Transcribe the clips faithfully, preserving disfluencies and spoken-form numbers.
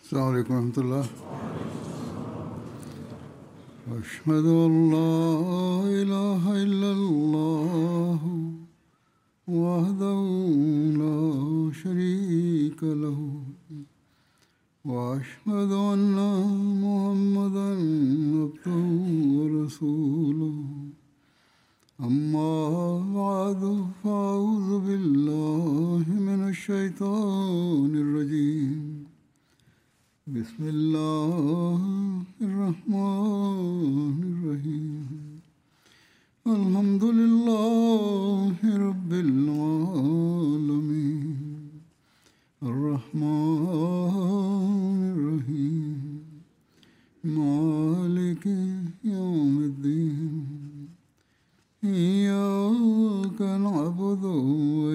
السلام علیکم ورحمۃ اللہ۔ اشہد ان لا الہ الا اللہ وحدہ لا شریک لہ واشہد ان محمدا عبدہ ورسولہ، اما بعد فاعوذ باللہ من الشیطان الرجیم، بسم اللہ الرحمن الرحیم، الحمد للہ رب العالمین، الرحمن الرحیم، مالک یوم الدین، ایاک نعبد و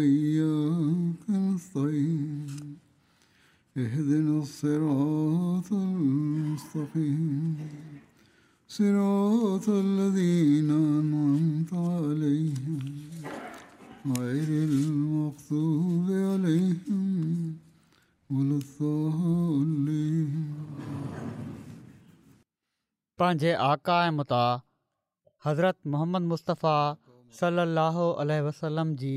ایاک نستعین، اهدنا الصراط المستقيم، صراط الذين أنعمت عليهم، غير المغضوب عليهم ولا الضالين۔ پنهنجي آقا ۽ مطاع حضرت محمد مصطفيٰ صلي الله عليه وسلم جي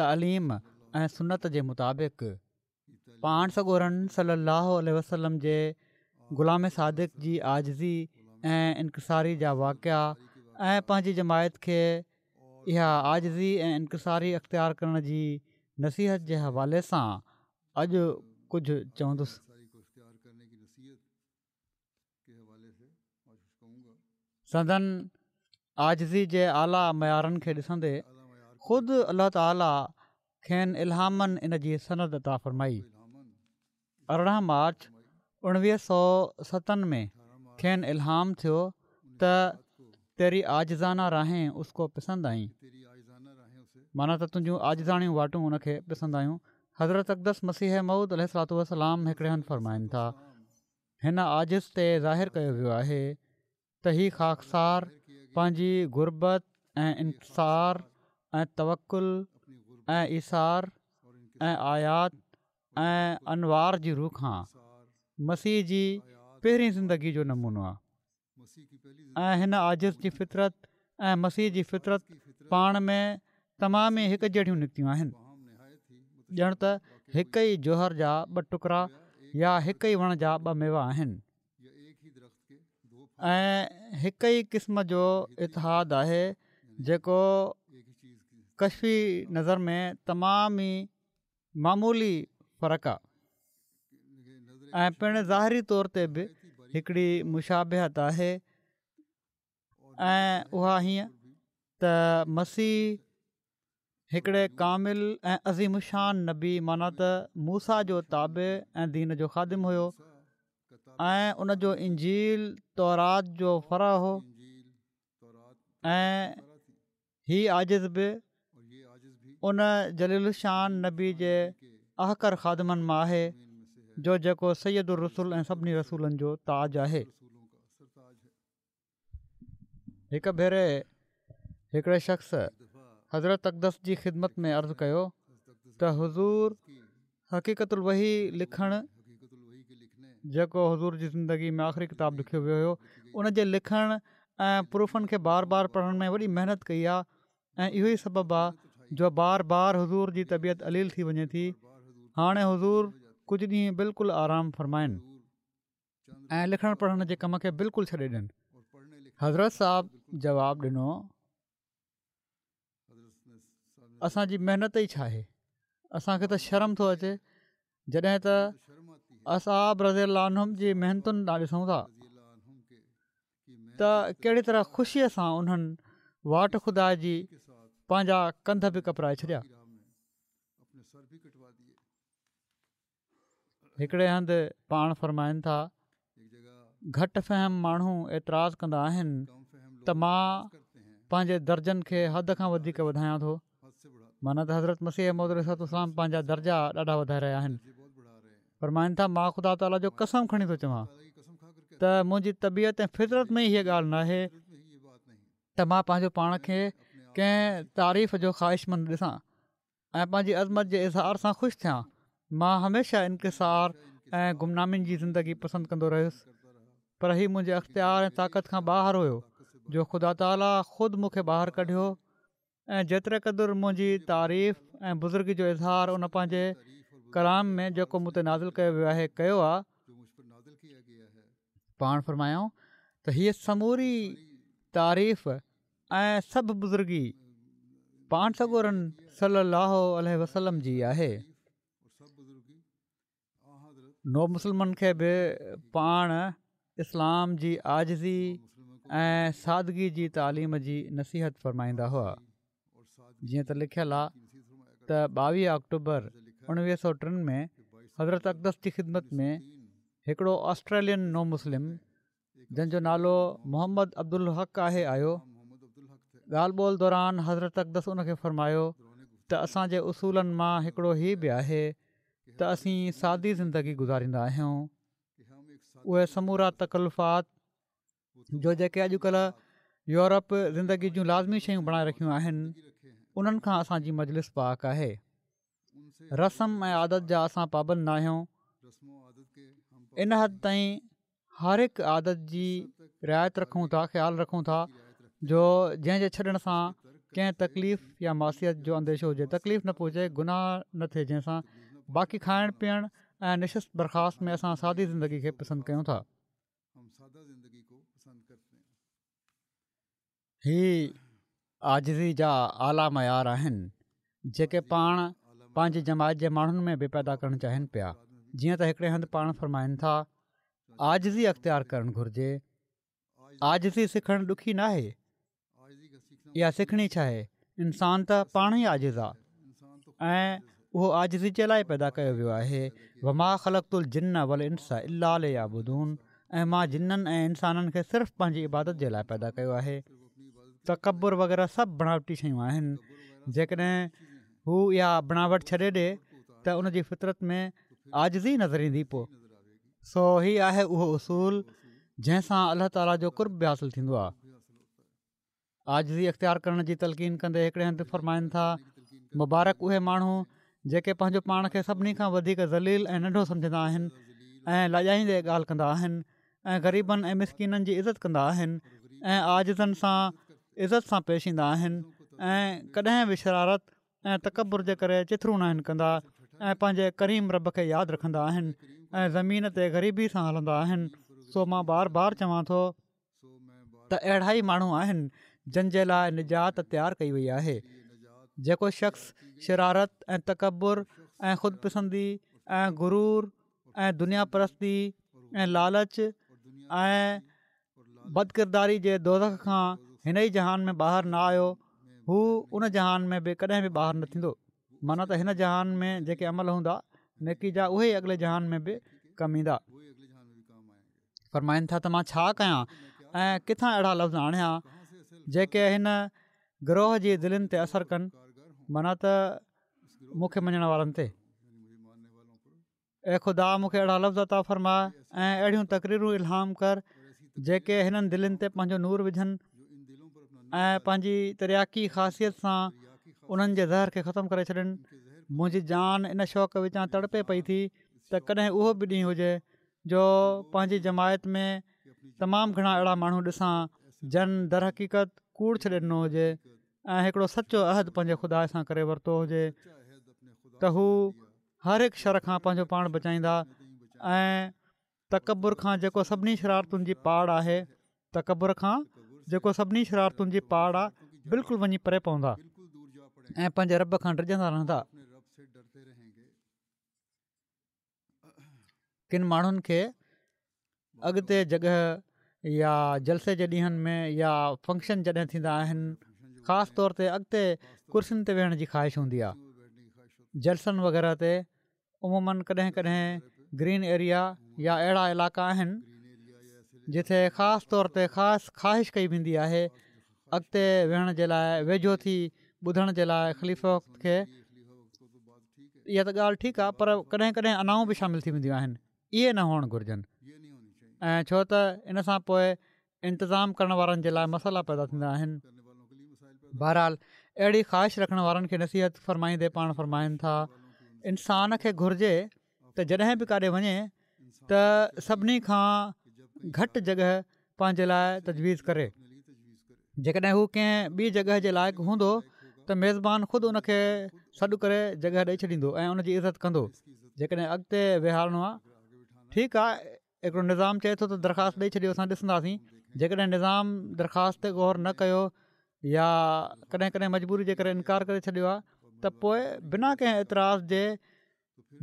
تعليم ۽ سنت جي مطابق پاڻ سڳورن صلي الله عليه وسلم جي غلام صادق جي عاجزي ۽ انڪساري جا واقعا ۽ پنهنجي جماعت کي اها عاجزي ۽ انڪساري اختيار ڪرڻ جي نصيحت جي حوالي سان اڄ ڪجهه چوندس. سندن عاجزي جي اعليٰ معيارن کي ڏسندي خود الله تعاليٰ کين الهامن ان جي سند عطا فرمائي. ارڙهن مارچ اڻويهه سؤ ستن ۾ کين الهام ٿيو ته تيري عاجزانه راهين اس ڪو پسند آئين، معنيٰ ته تنهنجون عاجزاڻيون واٽون ان کي پسند آيون. حضرت اقدس مسيح موعود عليه الصلوة والسلام هڪڙي هنڌ فرمائن ٿا، هن عاجز تي ظاهر ڪيو ويو آهي ته هي خاڪسار پنهنجي غربت ۽ انڪسار ۽ توڪل ۽ ايثار ۽ آيات ۽ انوار جي روح کان مسيح جي پهرين زندگي جو نمونو آهي ۽ هن عاجز جي فطرت ۽ مسيح جي فطرت پاڻ ۾ تمام ئي هڪ جهڙيون نڪتيون آهن، ڄڻ ته هڪ ئي جوهر جا ٻه ٽڪرا يا هڪ ئي وڻ جا ٻه ميوا آهن ۽ هڪ ئي قسم جو اتحاد آهي جيڪو ڪشفي نظر ۾ تمام ئي معمولي فرق آهي ۽ پڻ ظاهري طور تي به هڪڙي مشابهت آهي ۽ اها هيئن ته مسيح هڪڙي ڪامل ۽ عظيم الشان نبي معنيٰ ته موسيٰ جو تابع ۽ دين جو خادم هيو ۽ ان جو انجيل تورات جو فرع هو ۽ هي عاجز به ان جليل الشان نبي جي احقر خادمن مان آهي جو جيڪو سيد الرسل ۽ سڀني رسولن جو تاج آهي. هڪ ڀيري هڪڙي شخص حضرت اقدس جي خدمت ۾ عرض ڪيو ته حضور حقيقت الوحي لکڻ، جيڪو حضور جي زندگي ۾ آخري ڪتاب لکيو ويو هيو، ان جي لکڻ ۽ پروفن کي بار بار پڙهڻ ۾ وڏي محنت ڪئي آهي ۽ اهو ئي سبب آهي جو بار بار حضور جي طبيعت عليل ٿي وڃي ٿي. هاڻي حضور ڪجهه ڏينهن بلڪل آرام فرمائن ۽ لکڻ پڙهڻ جي ڪم کي بلڪل ڇڏي ڏين. حضرت صاحب جواب ڏنو، اسان جي محنت ئي ڇا آهي؟ اسان کي ته شرم ٿو اچي جڏهن ته اصحاب رضي الله عنهم جي محنتن ڏانهن ڏسون ٿا ته ڪهڙي طرح خوشيء سان انهن واٽ خدا جي پنهنجا ڪنڌ به ڪپرائي ڇڏيا. هڪڙي هنڌ پاڻ فرمائن ٿا، گهٽ فهم ماڻهو اعتراض ڪندا آهن ته مان پنهنجي درجن کي حد کان وڌيڪ وڌايان ٿو، معنيٰ ته حضرت مسيح موعود عليه الصلوة والسلام پنهنجا درجا ڏاڍا وڌائي رهيا آهن. فرمائن ٿا، مان خدا تعاليٰ جو قسم کڻي ٿو چوان ته منهنجي طبيعت ۽ فطرت ۾ ئي هيء ڳالهه ناهي ته مان پنهنجو پاڻ کي ڪنهن تعريف جو خواهشمند ڏسان ۽ پنهنجي عظمت جي اظهار سان خوش ٿيان. مان هميشه انڪسار ۽ گمنامين جي زندگي پسند ڪندو رهيس، پر هي منهنجي اختيار ۽ طاقت کان ٻاهر هيو جو خدا تعاليٰ خود مون کي ٻاهر ڪڍيو ۽ جيتري قدر منهنجي تعريف ۽ بزرگي جو اظهار ان پنهنجي ڪلام ۾ جيڪو مون تي نازل ڪيو ويو آهي ڪيو آهي. پاڻ فرمايائون ته هيء سموري تعريف ۽ سڀ بزرگي پاڻ سڳورن صلي الله عليه وسلم جي آهي. نو مسلمن کي به پاڻ اسلام جي عاجزي ۽ سادگي جي تعليم جي نصيحت فرمائيندا هئا. جيئن ته لکيل آ ته ٻاويهه آڪٽوبر اڻويهه سؤ ٽن ۾ حضرت اقدس جي خدمت ۾ هڪڙو آسٽريلين نو مسلم جنهن جو نالو محمد عبدالحق آهي آيو. ڳالهه ٻولهه دوران حضرت اقدس ان کي فرمايو ته اسان جي اصولن مان هڪڙو هي به آهي ته اسين سادي زندگي گذاريندا آهيون. اهي سمورا تڪلفات جو جيڪي اڄڪلهه يورپ زندگي جون لازمي شيون بڻائي رکيون آهن انهن کان اسان جي مجلس پاڪ آهي. رسم ۽ عادت جا اسان پابند ناهيون. ان حد تائين هر هڪ عادت جي رعايت رکون ٿا خيال رکون ٿا جو جنهن جي ڇڏڻ سان ڪنهن تڪليف يا معصيت جو انديشو هجي تڪليف نه پهچي گناهه نه ٿئي جنهن سان باقي کائڻ پيئڻ ۽ نشست برخاست ۾ اسان سادي زندگي کي پسند ڪيون ٿا. هي عاجزي جا اعليٰ معيار آهن جيڪي پاڻ پنهنجي جماعت جي ماڻهن ۾ به پيدا ڪرڻ چاهين پيا جيئن ته هڪڙي هنڌ پاڻ فرمائن ٿا عاجزي اختيار ڪرڻ گهرجي عاجزي سکڻ ڏکي ناهي اها سکڻي ڇا آهي انسان ته پاڻ ئي عاجز آ ۽ اهو عاجزي جي لاء پيدا ڪيو ويو آهي وما خلقت الجن والانس الا ليعبدون ۽ مان جنن ۽ انسانن کي صرف پنهنجي عبادت جي لاء پيدا ڪيو آهي تڪبر وغيره سڀ بڻاوٽي شيون آهن جيڪڏهن هو اها بڻاوٽ ڇڏي ڏي ته ان جي فطرت ۾ عاجزي نظر ايندي پوء سو هي آهي اهو اصول جنهن سان الله تعاليٰ جو قرب به حاصل ٿيندو آهي عاجزي اختيار ڪرڻ جي تلقين ڪندي هڪڙي هنڌ فرمائن ٿا مبارڪ اهي ماڻهو جيڪي پنهنجو پاڻ کي سڀني کان وڌيڪ ذليل ۽ ننڍو سمجهندا آهن ۽ لڄائيندي ڳالهه ڪندا آهن ۽ غريبن ۽ مسڪينن جي عزت ڪندا آهن ۽ عاجزن سان عزت سان پيش ايندا آهن ۽ ڪڏهن به شرارت ۽ تڪبر جي ڪري چٿرون ناهن ڪندا ۽ پنهنجي ڪريم رب کي ياد رکندا آهن ۽ زمين تي غريبي سان هلندا آهن سو مان بار بار چوان ٿو ته اهڙا ئي ماڻهو آهن جن جي لاء نجات تيار ڪئي وئي آهي. جيڪو شخص شرارت ۽ تڪبر ۽ خود پسندي ۽ غرور ۽ دنيا پرستي ۽ لالچ ۽ بدڪرداري جي دوزخ کان هن ئي جهان ۾ ٻاهر نه آيو هو ان جهان ۾ به ڪڏهن به ٻاهر نه ٿيندو معنيٰ ته هن جهان ۾ جيڪي عمل هوندا نيڪي جا اهي ئي اڳلي جهان ۾ به ڪم ايندا. فرمائن ٿا ته مان ڇا ڪيان ۽ ڪٿان اهڙا لفظ آڻيان جيڪي هن گروهه جي دلين تي اثر ڪن معنيٰ ته مون کي مڃڻ وارن تي اي خدا مون کي اهڙا لفظ عطا فرماء ۽ اهڙيون تقريرون الهام ڪر جيڪي هنن دلين تي پنهنجو نور وجهن ۽ پنهنجي ترياقي خاصيت سان انهن جي زهر کي ختم ڪري ڇڏن منهنجي جان ان شوق وچان تڙپي پئي ٿي ته ڪڏهن اهو به ڏينهن هجي جو پنهنجي جماعت ۾ تمام گهڻا اهڙا ماڻهو ڏسان جن درحقيقت ڪوڙ ڇڏي ڏنو هجي ۽ هڪڙو سچو عهد پنهنجي خدا سان ڪري ورتو هجي ته هو هر هڪ شر کان پنهنجو پاڻ بچائيندا ۽ تڪبر کان جيڪو سڀني شرارتن جي پاڙ آهي تڪبر کان جيڪو سڀني شرارتن جي پاڙ آهي بلڪل وڃي پري پوندا ۽ پنهنجي رب کان ڊڄندا رهندا. ڪن ماڻهن کي اڳتي جڳهه يا جلسي جي ڏينهن ۾ يا فنڪشن جڏهن ٿيندا آهن خاص طور تي اڳتي ڪرسين تي ويهڻ جي خواهش هوندي آهي جلسن وغيره تي عموماً ڪڏهن ڪڏهن گرين ايريا يا اهڙا علائقا آهن جتي خاص طور تي خاص خواهش ڪئي ويندي آهي اڳتي ويهڻ جي لاء ويجهو ٿي ٻڌڻ جي لاء خليفه وقت کي اها ته ڳالهه ٺيڪ آهي پر ڪڏهن ڪڏهن انائون به شامل ٿي وينديون آهن اهي نه هئڻ گهرجن ۽ ڇو ته ان سان پوء انتظام ڪرڻ وارن جي لاء مسئلا پيدا ٿيندا آهن بهرحال اهڙي خواهش رکڻ وارن کي نصيحت فرمائيندي پاڻ فرمائن ٿا انسان کي گهرجي ته جڏهن به ڪاڏي وڃي ته سڀني کان گهٽ جڳهه پنهنجي لاءِ تجويز ڪري. جيڪڏهن هو ڪنهن ٻي جڳهه جي لائق هوندو ته ميزبان خود ان کي سڏ ڪري جڳهه ڏئي ڇڏيندو ۽ ان جي عزت ڪندو. جيڪڏهن اڳتي ويهارڻو آهي ٺيڪ آهي، هڪڙو نظام چئي ٿو ته درخواست ڏئي ڇڏيو، اسان ڏسنداسين. جيڪڏهن نظام درخواست تي غور نه ڪيو يا ڪڏهن ڪڏهن مجبوري جي ڪري انڪار ڪري ڇڏيو آهي ته پوءِ بنا ڪنهن اعتراض جي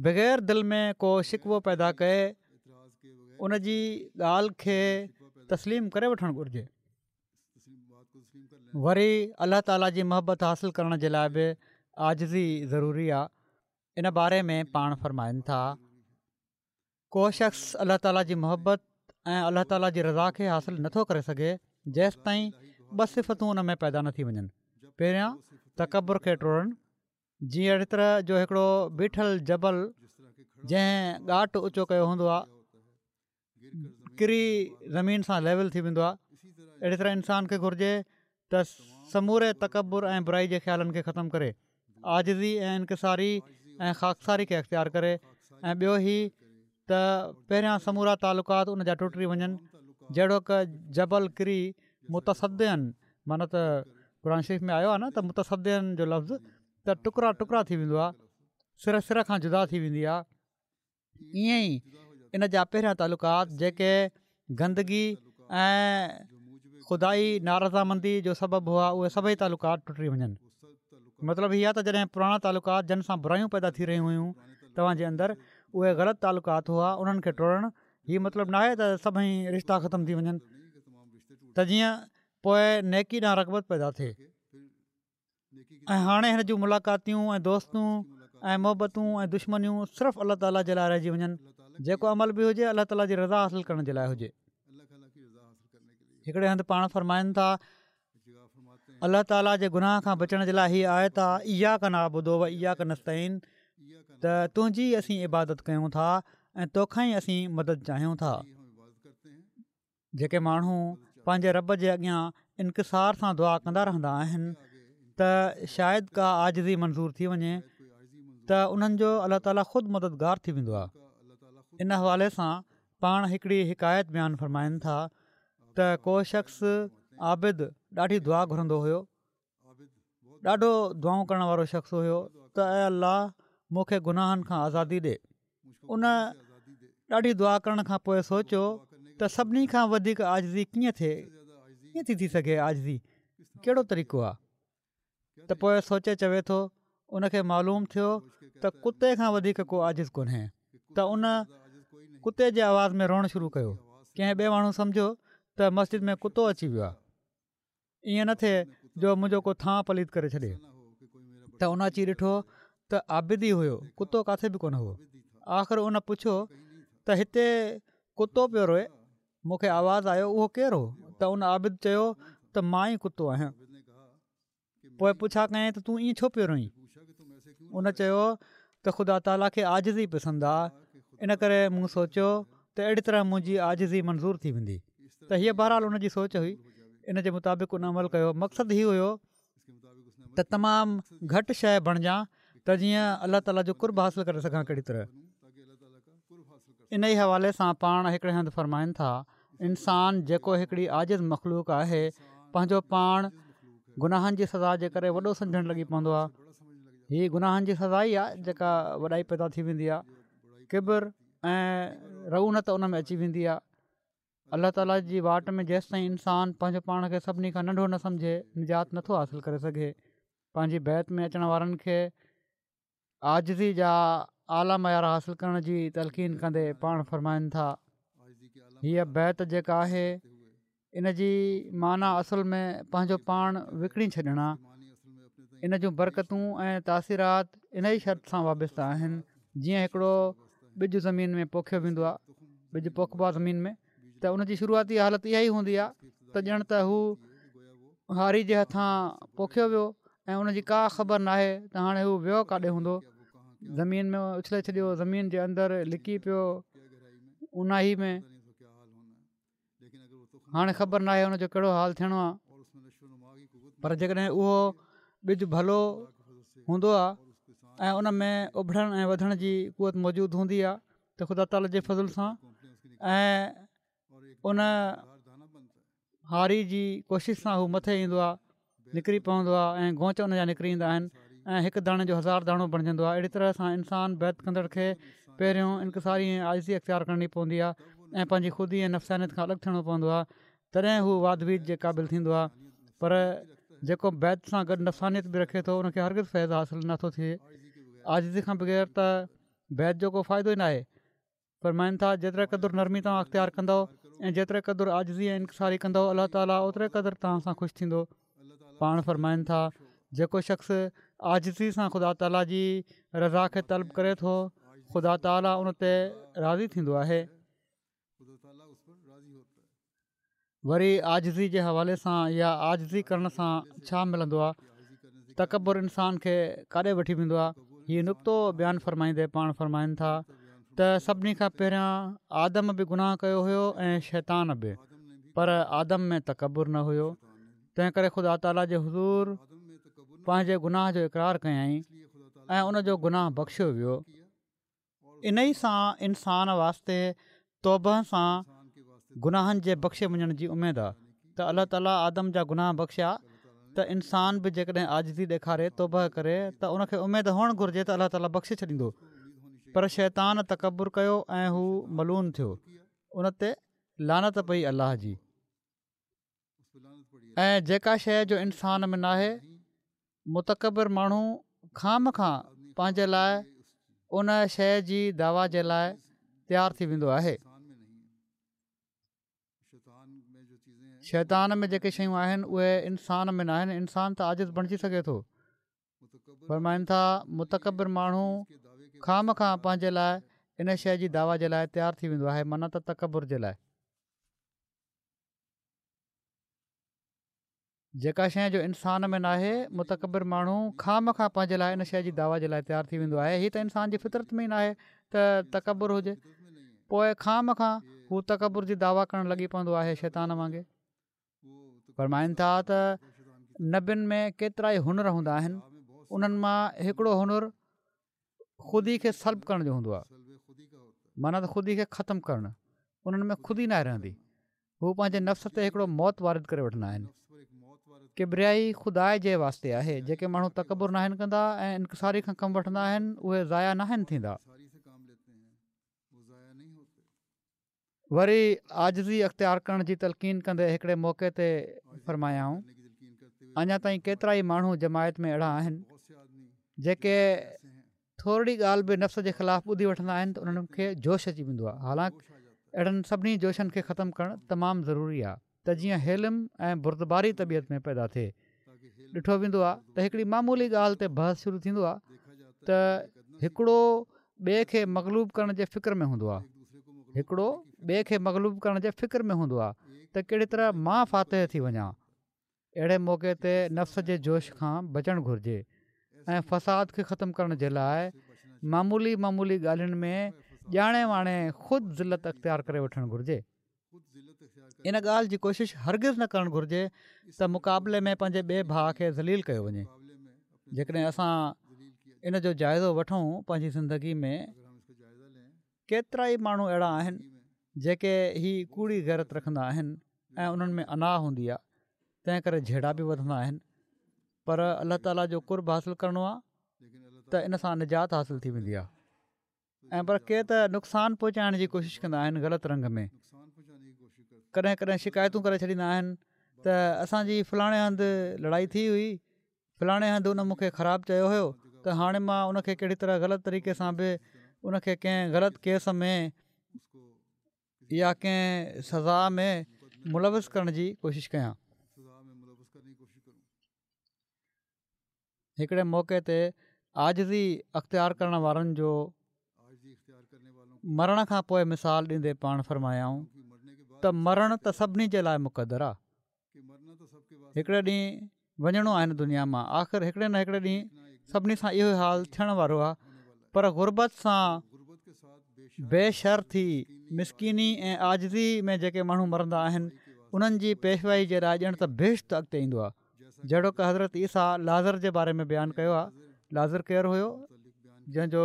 بغير دل ۾ ڪو شڪوو پيدا ڪئي ان جي ڳالهه کي تسليم ڪري وٺڻ گهرجي. وري الله تعاليٰ جي محبت حاصل ڪرڻ جي لاءِ به عاجزي ضروري آهي. ان باري ۾ پاڻ فرمائن ٿا، ڪو شخص الله تعاليٰ جي محبت ۽ الله تعاليٰ جي رضا کي حاصل نٿو ڪري سگهي جيستائين ٻه صفتون ان ۾ پيدا نه ٿي وڃن. پهريان تڪبر کي ٽوڙڻ، جيئن اهڙي طرح جو هڪڙو بيٺل جبل جنهن ڳاٽ اوچو ڪيو هوندو آهي ڪري زمين سان ليول ٿي ويندو آهي، اهڙي طرح انسان کي گهرجي ته سموري تڪبر ۽ برائي جي خيالن کي ختم ڪري، عاجزي ۽ انڪساري ۽ خاڪساري کي اختيار ڪري. ۽ ٻيو هي ته پهريان سمورا تعلقات ان جا ٽٽي وڃن، جهڙوڪ جبل ڪري متصدعاً، معنيٰ ته قرآن شريف ۾ آيو آهي نه ته متصدعاً جو لفظ ته ٽڪرا ٽڪرا ٿي ويندو آهي، سر سر کان جدا ٿي ويندي آهي. ائين ئي ان جا پهريان تعلقات جيڪي گندگي ۽ خدائي نارضامندي جو سبب هئا اهي سڀئي تعلقات ٽٽي وڃن. مطلب هي آهي ته جڏهن پراڻا تعلقات جن سان برايون پيدا ٿي رهيون هيون توهان جي اندر، اهي غلط تعلقات هئا، انهن کي ٽوڙڻ هي مطلب ناهي ته سڀئي رشتا ختم ٿي وڃن، ته جيئن پوءِ نيڪي ڏانهن رغبت پيدا ٿئي. ۽ هاڻي هن جون ملاقاتيون ۽ دوستون ۽ محبتون ۽ دشمنيون صرف الله تعاليٰ جي لاءِ رهجي وڃن. جيڪو عمل به هجي الله تعاليٰ جي رضا حاصل ڪرڻ جي لاءِ هجي. هڪڙي هنڌ پاڻ فرمائن ٿا، الله تعاليٰ جي گناهه کان بچڻ جي لاءِ هيءَ آيت آهي، اياڪ نعبد و اياڪ نستعين، ته تنهنجي اسين عبادت ڪيون ٿا ۽ توکان ئي اسين مدد چاهيون ٿا. جيڪي ماڻهو پنهنجي رب جي اڳيان انڪسار سان دعا ڪندا رهندا آهن ته شايد ڪا عاجزي منظور ٿي وڃي ته انهن جو الله تعاليٰ خود مددگار ٿي ويندو آهي. ان حوالي سان پاڻ هڪڙي حڪايت بيان فرمائن ٿا ته ڪو شخص عابد ڏاڍي دعا گهرندو هيو، ڏاڍو دعائون ڪرڻ وارو شخص هيو ته اي الله مون کي گناهن کان آزادي ڏي. ان ڏاڍي دعا ڪرڻ کان پوءِ سوچيو ته سڀني کان وڌيڪ عاجزي ڪيئن ٿئي، ڪيئن ٿي ٿي سگهي، عاجزي ڪهڙو طريقو آهي؟ ته پوءِ سوچي چوي ٿو ان کي معلوم ٿيو ته ڪتي کان وڌيڪ ڪو عاجز ڪونهي، ته ان ڪتي جي آواز ۾ روئڻ شروع ڪيو. ڪنهن ٻئي ماڻهو سمجهيو ته مسجد ۾ ڪتو اچي ويو آهي، ائين نه ٿئي جو منهنجو ڪو ٿانءُ پليت ڪري ڇڏي. ته ان اچي ڏٺو ته عابد ئي هيو، ڪتو ڪاٿي به ڪونه هو. آخر ان پڇيو ته هتي ڪتو پيو روئي، مون کي آواز آيو، اهو ڪير هو؟ ته ان عابد چيو ته مان ئي ڪتو آهيان. پوءِ پڇا ڪيائين ته تون ائين ڇو پيو روئين؟ ان چيو ته خدا تعاليٰ کي عاجزي پسند آهي، ان ڪري مون سوچيو ته اهڙي طرح منهنجي عاجزي منظور ٿي ويندي. ته هيءَ بهرحال ان جي سوچ هئي، ان جي مطابق ان عمل ڪيو. مقصد هي هيو ته تمام گهٽ شيءِ بڻجان ته جيئن الله تعاليٰ جو قرب حاصل ڪري سگهان ڪهڙي طرح. ان ئي حوالي سان پاڻ هڪڙي هنڌ فرمائن ٿا، انسان جيڪو هڪڙي عاجز مخلوق آهي پنهنجو پاڻ گناهن جي سزا جي ڪري وڏو سمجهڻ لڳي پوندو آهي. هيءَ گناهن جي سزا ئي آهي جيڪا وڏائي پيدا ٿي ويندي آهي، ڪبر ۽ رعونت ان ۾ اچي ويندي آهي. الله تعاليٰ جي واٽ ۾ جيستائين انسان پنهنجو پاڻ کي سڀني کان ننڍو نه سمجهي نجات نٿو حاصل ڪري سگهي. پنهنجي بيعت ۾ اچڻ وارن کي عاجزي جا اعليٰ معيار حاصل ڪرڻ جي تلقين ڪندي پاڻ فرمائن ٿا، هيءَ بيعت جيڪا آهي ان جي معنيٰ اصل ۾ پنهنجو پاڻ وڪڻي ڇڏڻ آهي. ان جون برڪتون ۽ تاثيرات ان ئي شرط سان وابسته آهن. جيئن هڪڙو ٻج زمين ۾ پوکيو ويندو آهي، ٻج پوکبو آهي زمين ۾ ته ان جي شروعاتي حالت اها ئي هوندي آهي ته ڄڻ ته هو هاري جي هٿان پوکيو ويو ۽ ان جي ڪا خبر ناهي ته هاڻي هو ويو ڪاڏي هوندو، زمين ۾ اڇلي ڇڏيو، زمين جي اندر لڪي پيو اوناهي ۾، هاڻي خبر ناهي ان جو ڪهڙو حال ٿيڻو آهي. پر جيڪڏهن اهو ٻج ڀلو هوندو آهي ۽ ان ۾ اڀرڻ ۽ وڌڻ جي قوت موجود هوندي آهي ته خدا تعاليٰ جي فضل سان ۽ ان هاري جي ڪوشش سان هو مٿي ايندو آهي، نڪري پوندو آهي ۽ گونچ ان جا نڪري ايندا آهن ۽ هڪ داڻي جو هزار داڻو بڻجندو آهي. اهڙي طرح سان انسان بيعت ڪندڙ کي پهريون انڪساري ۽ عاجزي اختيار ڪرڻي پوندي آهي ۽ پنهنجي خودي ۽ نفسانيت کان الڳ ٿيڻو پوندو آهي تڏهن هو واڌ ويجهه جي قابل ٿيندو آهي پر جيڪو بيعت سان گڏ نفسانيت به رکي ٿو ان کي هرگز فيض حاصل نٿو ٿئي. عاجزي کان بغير ته بيعت جو ڪو فائدو ئي ناهي. فرمائن ٿا، جيتري قدر نرمي توهان اختيار ڪندؤ ۽ جيتري قدر عاجزي ۽ انڪساري ڪندؤ الله تعالي اوتري قدر توهان سان خوش ٿيندو. پاڻ فرمائن ٿا، جيڪو شخص عاجزي سان خدا تعالي جي رضا کي طلب ڪري ٿو خدا تعالي ان تي راضي ٿيندو آهي. وري عاجزي جي حوالي سان يا عاجزي ڪرڻ سان ڇا ملندو آهي تڪبر انسان کي ڪاڏي وٺي ويندو آهي هي نڪتو بيان فرمائيندي پاڻ فرمائن ٿا ته سڀني کان پهريان آدم به گناهه ڪيو هيو ۽ شيطان به پر آدم ۾ تڪبر نه هيو تنهن ڪري خدا تعاليٰ جي حضور پنهنجي گناهه جو اقرار ڪيائين ۽ ان جو گناهه بخشيو ويو انهي سان انسان واسطي توبه سان گناهن جي بخشي وڃڻ جي اميد آ ته الله تعالي آدم جا گناهه بخشيا ته انسان به جيڪڏهن عاجزي ڏيکاري توبه ڪري ته ان کي اميد هئڻ گهرجي ته الله تعالي بخشي ڇڏيندو پر شيطان تڪبر ڪيو ۽ هو ملعون ٿيو ان تي لعنت پئي الله جي. ۽ جيڪا شيء جو انسان ۾ ناهي متڪبر ماڻهو خوامخواه پنهنجي لاء ان شيء جي دعويٰ جي لاء تيار ٿي ويندو آهي. شيطان ۾ جيڪي شيون آهن اهي انسان ۾ ناهن انسان ته عاجز بڻجي سگهي ٿو. فرمائن ٿا متڪبر ماڻهو خوامخواه پنهنجي لاء ان شيء جي دعويٰ جي لاء تيار ٿي ويندو آهي معنيٰ ته تڪبر جي لاء. جيڪا شيء جو انسان ۾ ناهي، متڪبر ماڻهو خوامخواه پنهنجي لاء ان شيء جي دعويٰ جي لاء تيار ٿي ويندو آهي، هي ته انسان جي فطرت ۾ ئي ناهي ته تڪبر هجي، پوء خوامخواه هو تڪبر جي دعويٰ ڪرڻ لڳي پوندو آهي شيطان وانگي. فرمائن ٿا ته نبين ۾ ڪيترائي هنر هوندا آهن، انهن مان هڪڙو هنر خودي کي سلب ڪرڻ جو هوندو آهي معنيٰ ته خودي کي ختم ڪرڻ انهن ۾ خودي ناهي رهندي هو پنهنجي نفس تي هڪڙو موت وارد ڪري وٺندا آهن ڪبريائي خدا جي واسطي آهي جيڪي ماڻهو تڪبر ناهن ڪندا ۽ انڪساري کان ڪم وٺندا آهن اهي ضايع ناهن ٿيندا وري عاجزي اختيار ڪرڻ جي تلقين ڪندي هڪڙي موقعي تي فرمايائون، اڃا تائين ڪيترائي ماڻهو جماعت ۾ اهڙا آهن، جيڪي ٿورڙي ڳالهه به نفس جي خلاف ٻڌي وٺندا آهن ته انهن کي جوش اچي ويندو آهي، حالانڪ اهڙن سڀني جوشن کي ختم ڪرڻ تمام ضروري آهي ته جيئن حلم ۽ بردباري طبيعت ۾ پيدا ٿئي. ڏٺو ويندو آهي ته هڪڙي معمولي ڳالهه تي بحث شروع ٿيندو آهي ته هڪڙو ٻئي کي مغلوب ڪرڻ جي فڪر ۾ هوندو آهي هڪڙو ٻئي کي مغلوب ڪرڻ جي فڪر ۾ هوندو آهي ته ڪهڙي طرح مان فاتح ٿي وڃان اهڙي موقعي تي نفس جي جوش کان بچڻ گهرجي ۽ فساد کي ختم ڪرڻ جي لاء معمولي معمولي ڳالهين ۾ ڄاڻي واڻي خود ذلت اختيار ڪري وٺڻ گهرجي ان ڳالهه جي ڪوشش هرگز نه ڪرڻ گهرجي ته مقابلي ۾ پنهنجي ٻئي ڀاء کي ذليل ڪيو وڃي جيڪڏهن اسان ان جو جائزو وٺون پنهنجي زندگي ۾ ڪيترائي ماڻهو اهڙا آهن جيڪي هي ڪوڙي غيرت رکندا آهن ۽ انهن ۾ انا هوندي آهي تنهن ڪري جهيڙا به وڌندا آهن پر الله تعاليٰ جو قرب حاصل ڪرڻو آهي ته ان سان نجات حاصل ٿي ويندي آهي ۽ پر ڪي ته نقصان پهچائڻ جي ڪوشش ڪندا آهن غلط رنگ ۾ ڪڏهن ڪڏهن شڪايتون ڪري ڇڏيندا آهن ته اسان جي فلاڻي هنڌ لڙائي ٿي هئي فلاڻي هنڌ ان مون کي خراب چيو هيو ته هاڻي مان ان کي ڪهڙي طرح غلط طريقي سان به ان کي ڪنهن غلط ڪيس ۾ يا ڪنهن سزا ۾ ملوث ڪرڻ جي ڪوشش ڪيان هڪڙي موقعي تي عاجزي اختيار ڪرڻ وارن جو مرڻ کان پوء مثال ڏيندي پاڻ فرمايائون ته مرڻ ته سڀني جي لاء مقدر آ هڪڙي ڏينهن وڃڻو آهي هن دنيا مان آخر هڪڙي نه هڪڙي ڏينهن سڀني سان اهو حال ٿيڻ وارو آ پر غربت سان بي شر ٿي مسڪيني ۽ عاجزي ۾ جيڪي ماڻهو مرندا آهن انهن جي پيشوائي جي لاء ڄڻ ته بهشت اڳتي ايندو آ جهڙوڪ حضرت عيسيٰ لعزر جي باري ۾ بيان ڪيو آهي لعزر ڪير هيو جنهن جو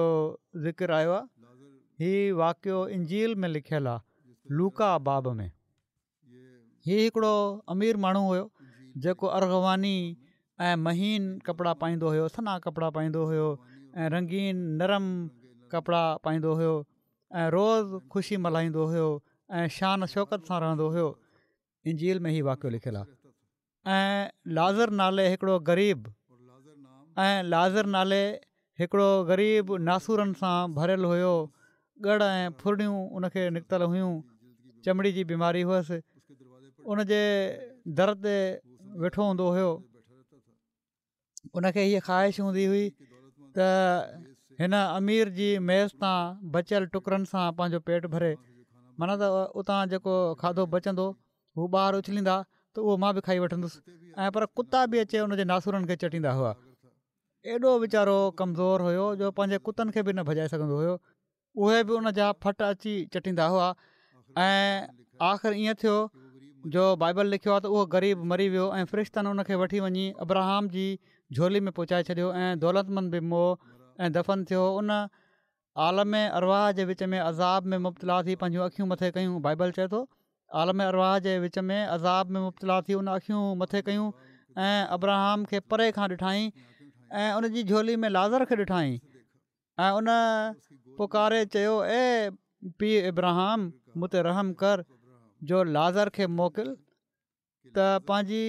ذڪر آيو آهي هي واقعو انجيل ۾ لکيل آ، لوقا باب ۾. هي هڪڙو امير ماڻهو هيو جيڪو ارغواني ۽ مهين ڪپڙا پائيندو هيو، سنها ڪپڙا پائيندو هيو ۽ رنگين نرم ڪپڙا پائيندو هيو ۽ روز خوشي ملهائيندو هيو ۽ شان شوڪت سان رهندو هيو. انجيل ۾ هي واقعو لکيل آ. ۽ لعزر نالي هڪڙو غريب ۽ لعزر نالي هڪڙو غريب ناسورن سان ڀريل هيو، ڳڙ ۽ ڦرڙيون ان کي نڪتل هيون، چمڙي جي بيماري هئس، ان جي در تي ويٺو هوندو هيو. ان کي هيء خواهش هوندي هئي ته هن امير جي ميز تان بچيل ٽڪرن سان پنهنجو پيٽ ڀري، معنيٰ ته اتان جيڪو کاڌو بچندو هو ٻاهر اڇليندا ته اهو مان به کائي وٺندس ۽ پر ڪتا به اچي ان جي ناسورن کي چٽيندا هئا. ايڏو ويچارو ڪمزور هيو جو پنهنجي ڪتن کي به نه ڀڄائي سگهندو هيو. اهي به ان جا ڦٽ اچي چٽيندا هئا ۽ آخر ائين ٿيو جو بائبل لکيو آهي ته اهو غريب مري ويو ۽ فرشتن ان کي وٺي وڃي ابراهام جي جهولي ۾ پهچائي ڇڏيو ۽ دولتمند به مئو ۽ دفن ٿيو. ان عالم ارواح جي وچ ۾ عذاب ۾ مبتلا ٿي پنهنجون اکيون مٿي ڪيون. بائبل چئي ٿو عالم ارواح جي وچ ۾ عذاب ۾ مبتلا ٿي ان اکيون مٿي ڪيون ۽ ابراهام کي پري کان ڏٺائين ۽ ان جي جهولي ۾ لعزر کي ڏٺائين ۽ ان پڪاري چيو اي پيء ابراهام مون تي رحم ڪر جو لعزر کي موڪل ته پنهنجي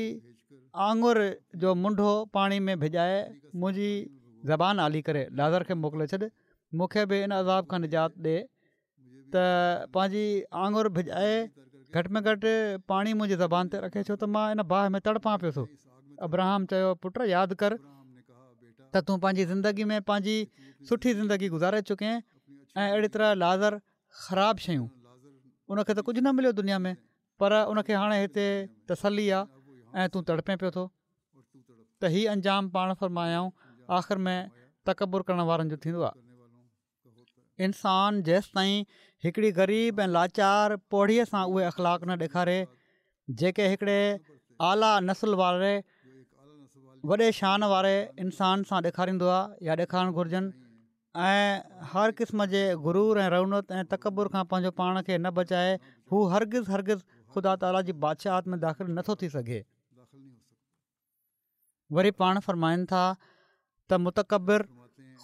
آڱر جو منڍو پاڻي ۾ ڀڄائي منهنجي زبان آلي ڪري. لعزر کي موڪلي ڇڏ، مون کي به ان عذاب کان نجات ڏي ته پنهنجي آڱر ڀڄائي گهٽ ۾ گهٽ پاڻي منهنجي زبان تي رکي ڇو ته مان ان باهه ۾ تڙپان پيو ٿو. ابراهام چيو، پٽ ياد ڪر ته تون پنهنجي زندگي ۾ پنهنجي سٺي زندگي گذاري چڪين ۽ اهڙي طرح لعزر خراب شيون ان کي ته ڪجهه نه مليو دنيا ۾ پر ان کي هاڻي هتي تسلي آ ۽ تون تڙپين پيو ٿو ته هي انجام پاڻ فرمايائون آخر ۾ تڪبر ڪرڻ وارن جو ٿيندو آ. انسان جيستائين هڪڙي غريب ۽ لاچار پوڙهي سان اهي اخلاق نه ڏيکاري جيڪي هڪڙي اعليٰ نسل واري وڏي شان واري انسان سان ڏيکاريندو آ يا ڏيکارڻ گهرجن ۽ هر قسم جي غرور ۽ رعونت ۽ تڪبر کان پنهنجو پاڻ کي نه بچائي هو هرگز هرگز خدا تعاليٰ جي بادشاهت ۾ داخل نٿو ٿي سگهي. وري پاڻ فرمائن ٿا ته متڪبر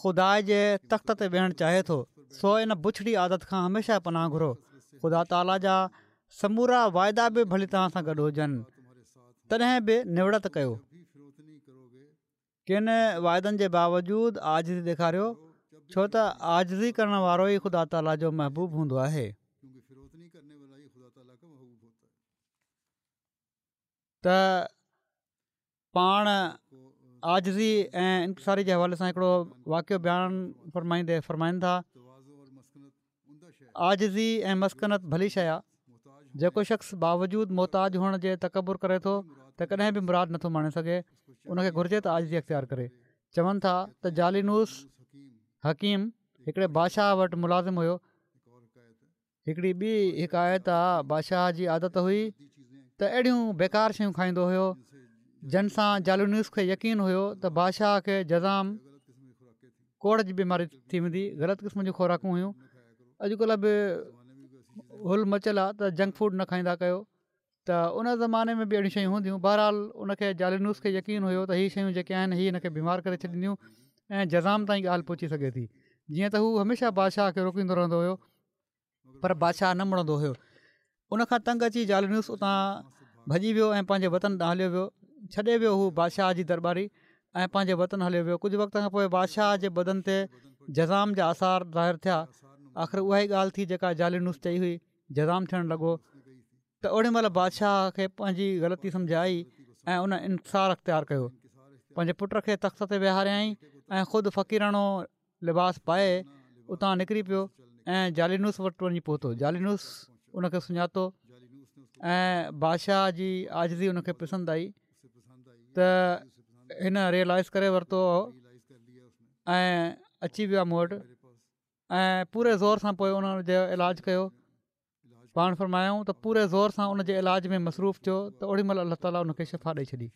خدا جي تخت تي ويهڻ چاهي ٿو سو ان بڇڙي عادت کان هميشه پناهه گهرو خدا تعاليٰ جا سمورا واعدا به ڀلي توهان سان گڏ هجن تڏهن به نوڙت ڪيو. ڪن واعدن جي باوجود عاجزي ڏيکاريو ڇو ته عاجزي ڪرڻ وارو ئي خدا تعاليٰ جو محبوب هوندو آهي. ته پاڻ عاجزي ۽ انڪساري جي حوالي سان هڪڙو واقعو بيان فرمائيندي فرمائن ٿا عاجزي ۽ مسڪنت ڀلي شيء آ، جيڪو شخص باوجود محتاج هئڻ جي تڪبر ڪري ٿو ته ڪڏهن به مراد نٿو ماڻي سگهي، ان کي گهرجي ته عاجزي اختيار ڪري. چون ٿا ته جالينوس حڪيم هڪڙي بادشاهه وٽ ملازم هيو. هڪڙي ٻي حڪايت آ، بادشاهه جي عادت هئي ته اهڙيون بيڪار شيون کائيندو هيو، جن سان جالينوس کي يقين هيو ته بادشاهه کي جذام ڪوڙهه جي بيماري ٿي ويندي غلط قسم جون خوراڪون هيون اڄڪلهه به هل مچل آ ته جنڪ فوڊ نه کائيندا ڪيو ته ان زماني ۾ به اهڙيون شيون هونديون بهرحال ان کي جالينوس کي يقين هيو ته هي شيون جيڪي آهن هي هن کي بيمار ڪري ڇڏينديون ۽ جذام تائين ڳالهه پهچي سگهي ٿي جيئن ته هو هميشه بادشاهه کي روڪيندو رهندو هيو پر بادشاهه نه مڙندو هيو. ان کان تنگ اچي جالينوس اتان ڀڄي ويو ۽ پنهنجي وطن ڏانهن هليو ويو. ڇڏي ويو هو بادشاهه جي درٻاري ۽ پنهنجي وطن هليو ويو. ڪجهه وقت کان پوء بادشاهه جي بدن تي جذام جا آثار ظاهر ٿيا. آخر اها ئي ڳالهه ٿي جيڪا جالينوس چئي هئي. جذام ٿيڻ لڳو ته اوڏي مهل بادشاهه کي پنهنجي غلطي سمجهه آئي ۽ ان انڪسار اختيار ڪيو. پنهنجي پٽ کي تخت تي ويهاريائين ۽ خود فقيراڻو لباس پائي اتان نڪري پيو ۽ جالينوس وٽ وڃي پهتو جالينوس ان کي سڃاتو ۽ بادشاهه جي عاجزي ان کي پسند آئي ته هن ريئلائز ڪري ورتو ۽ اچي ويو آهي مون وٽ ۽ پوري زور سان پوء ان جو علاج ڪيو پاڻ فرمايائون ته پوري زور سان ان جي علاج ۾ مصروف ٿيو ته اوڏي مهل الله تعاليٰ ان کي شفا ڏئي ڇڏي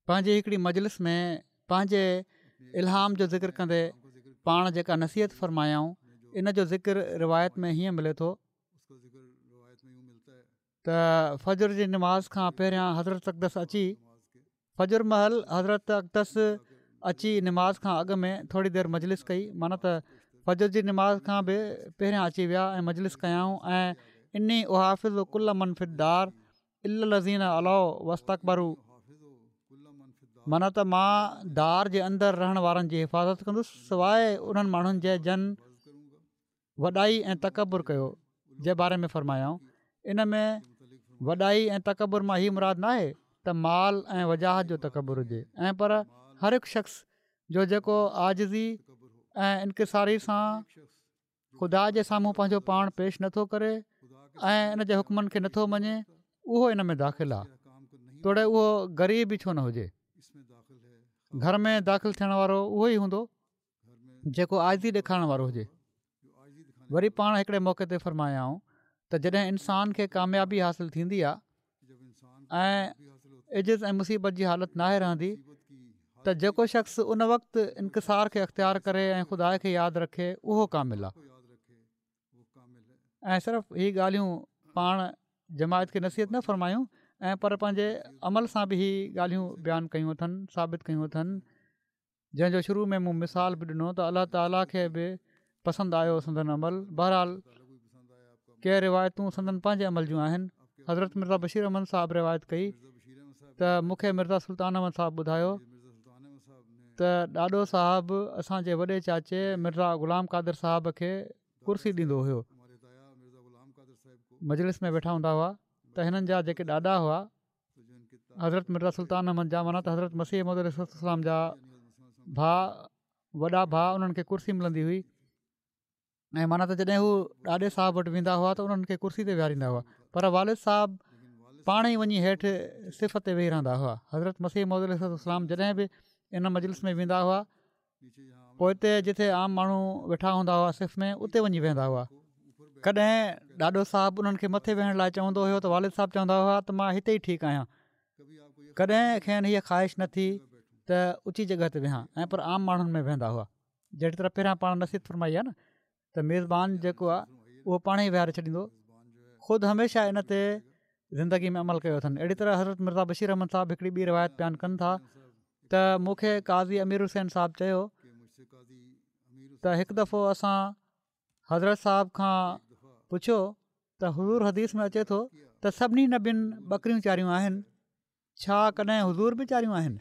پنهنجي هڪڙي مجلس ۾ پنهنجي الهام جو ذڪر ڪندي پاڻ جيڪا نصيحت فرمايائون ان جو ذڪر روايت ۾ هيئن ملي ٿو ته فجر جي نماز کان پهريان حضرت اقدس اچي فجر مهل حضرت اقدس اچي نماز کان اڳ ۾ ٿوري دير مجلس ڪئي، معنيٰ ته فجر جي نماز کان به پهريان اچي ويا ۽ مجلس ڪيائون ۽ اني احافظ ڪل من في الدار الا الذين علوا واستڪبروا معنيٰ ته مان دار جي اندر رهڻ وارن جي حفاظت ڪندس سواء انهن ماڻهن جي جن وڏائي ۽ تڪبر ڪيو جي باري ۾ فرمايائون ان ۾ وڏائي ۽ تڪبر مان هي مراد ناهي ته مال ۽ وجاهت جو تڪبر هجي ۽ پر هر هڪ شخص جو جيڪو عاجزي ۽ انڪساري سان خدا جي سامهون پنهنجو پاڻ پيش نٿو ڪري ۽ ان جي حڪمن کي نٿو مڃي اهو ان ۾ داخل آهي توڙي اهو غريب ئي ڇو نه هجي. گهر ۾ داخل ٿيڻ وارو اهو ئي هوندو جيڪو عاجزي ڏيکارڻ وارو هجي. وري پاڻ هڪڙي موقعي تي فرمايائون ته جڏهن انسان کي ڪاميابي حاصل ٿيندي آهي ۽ عجز ۽ مصيبت جي حالت ناهي رهندي ته جيڪو شخص ان وقت انڪسار کي اختيار ڪري ۽ خدا کي ياد رکي اهو ڪامل آهي ۽ صرف هي ڳالهيون پاڻ جماعت کي نصيحت نه فرمايون ۽ پر پنهنجي عمل سان به هي ڳالهيون بيان ڪيون اٿن ثابت ڪيون اٿن جنهن جو شروع ۾ مون مثال به ڏنو ته الله تعاليٰ کي به پسند آيو سندن عمل بهرحال ڪي روايتون سندن پنهنجي عمل جون آهن حضرت مرزا بشير احمد صاحب روايت ڪئي ته مون کي مرزا سلطان احمد صاحب ٻڌايو ته ڏاڏو صاحب اسان جي وڏي چاچي مرزا غلام قادر صاحب کي ڪرسي ڏيندو هيو مجلس ۾ ويٺا هوندا هئا ته هنن جا جيڪي ڏاڏا هئا حضرت مرزا سلطان احمد جا معنيٰ ته حضرت مسيح موعود عليه الصلوة والسلام جا ڀاء وڏا ڀاء انهن کي ڪرسي ملندي هئي ۽ معنيٰ ته جڏهن هو ڏاڏي صاحب وٽ ويندا هئا ته انهن کي ڪرسي تي ويهاريندا هئا پر والد صاحب پاڻ ئي وڃي هيٺ صف تي ويهي رهندا هئا حضرت مسيح موعود عليه الصلوة والسلام جڏهن به ان مجلس ۾ ويندا هئا پوئتي جتي عام ماڻهو ويٺا هوندا هئا صف ۾ اتي وڃي ويهندا هئا. ڪڏهن ڏاڏو صاحب انهن کي مٿي ويهڻ لاء چوندو هيو ته والد صاحب چوندا هئا ته مان هتي ئي ٺيڪ آهيان. ڪڏهن کين هيء خواهش نه ٿي ته اوچي جڳهه تي ويهان ۽ پر عام ماڻهن ۾ ويهندا هئا. جهڙي طرح پهريان پاڻ نصيحت فرمائي آهي نه ته ميزبان جيڪو آهي اهو پاڻ ئي ويهاري ڇڏيندو. خود هميشه ان تي زندگي ۾ عمل ڪيو اٿن. اهڙي طرح حضرت مرزا بشير احمد صاحب هڪڙي ٻي روايت بيان ڪن ٿا ته مون کي قاضي امير حسين صاحب چيو ته هڪ دفعو اسان حضرت صاحب کان پڇيو ته حضور حديث ۾ اچي ٿو ته سڀني نبين ٻڪريون چاريون آهن ڇا ڪڏهن حضور به چاريون آهن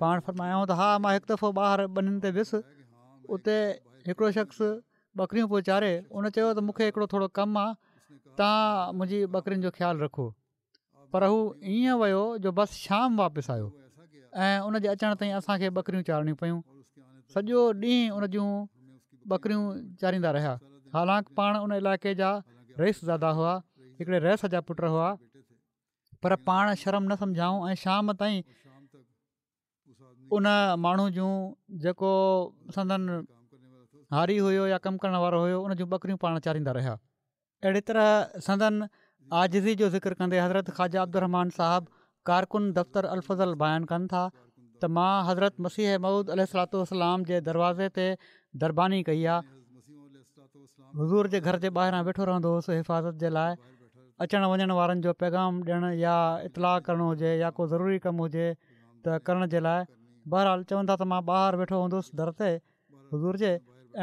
پاڻ فرمايائون ته ها مان هڪ دفعو ٻاهر ٻنين تي ويس اتي هڪڙو شخص ٻڪريون پيو چاري ان چيو ته مون کي هڪڙو ٿورو ڪم آ توهان منهنجي ٻڪرين جو خيال رکو پر هو ائين ويو جو بس شام واپس آيو ۽ ان جي اچڻ تائين اسان کي ٻڪريون چارڻيون پيون سڄو ڏينهن ان جون ٻڪريون چاريندا رهيا حالانڪ پاڻ ان علائقي جا رئيس زاده هئا هڪڙي رئيس جا پٽ هئا پر پاڻ شرم نه سمجهائون ۽ شام تائين ان ماڻهو جون جيڪو سندن هاري هيو يا ڪم ڪرڻ وارو هيو ان جون ٻڪريون پاڻ چاريندا رهيا اهڙي طرح سندن عاجزي جو ذڪر ڪندي حضرت خواجه عبدالرحمان صاحب ڪارڪن دفتر الفضل بيان ڪن ٿا ته مان حضرت مسيح موعود عليه الصلوة والسلام جي دروازي تي درباني ڪئي آ حضور جي گهر جي ٻاهران ويٺو رهندو هوس حفاظت جي لاء اچڻ وڃڻ وارن جو پيغام ڏيڻ يا اطلاع ڪرڻو هجي يا ڪو ضروري ڪم هجي ته ڪرڻ جي لاء بهرحال چون ٿا ته مان ٻاهر ويٺو هوندس در تي حضور جي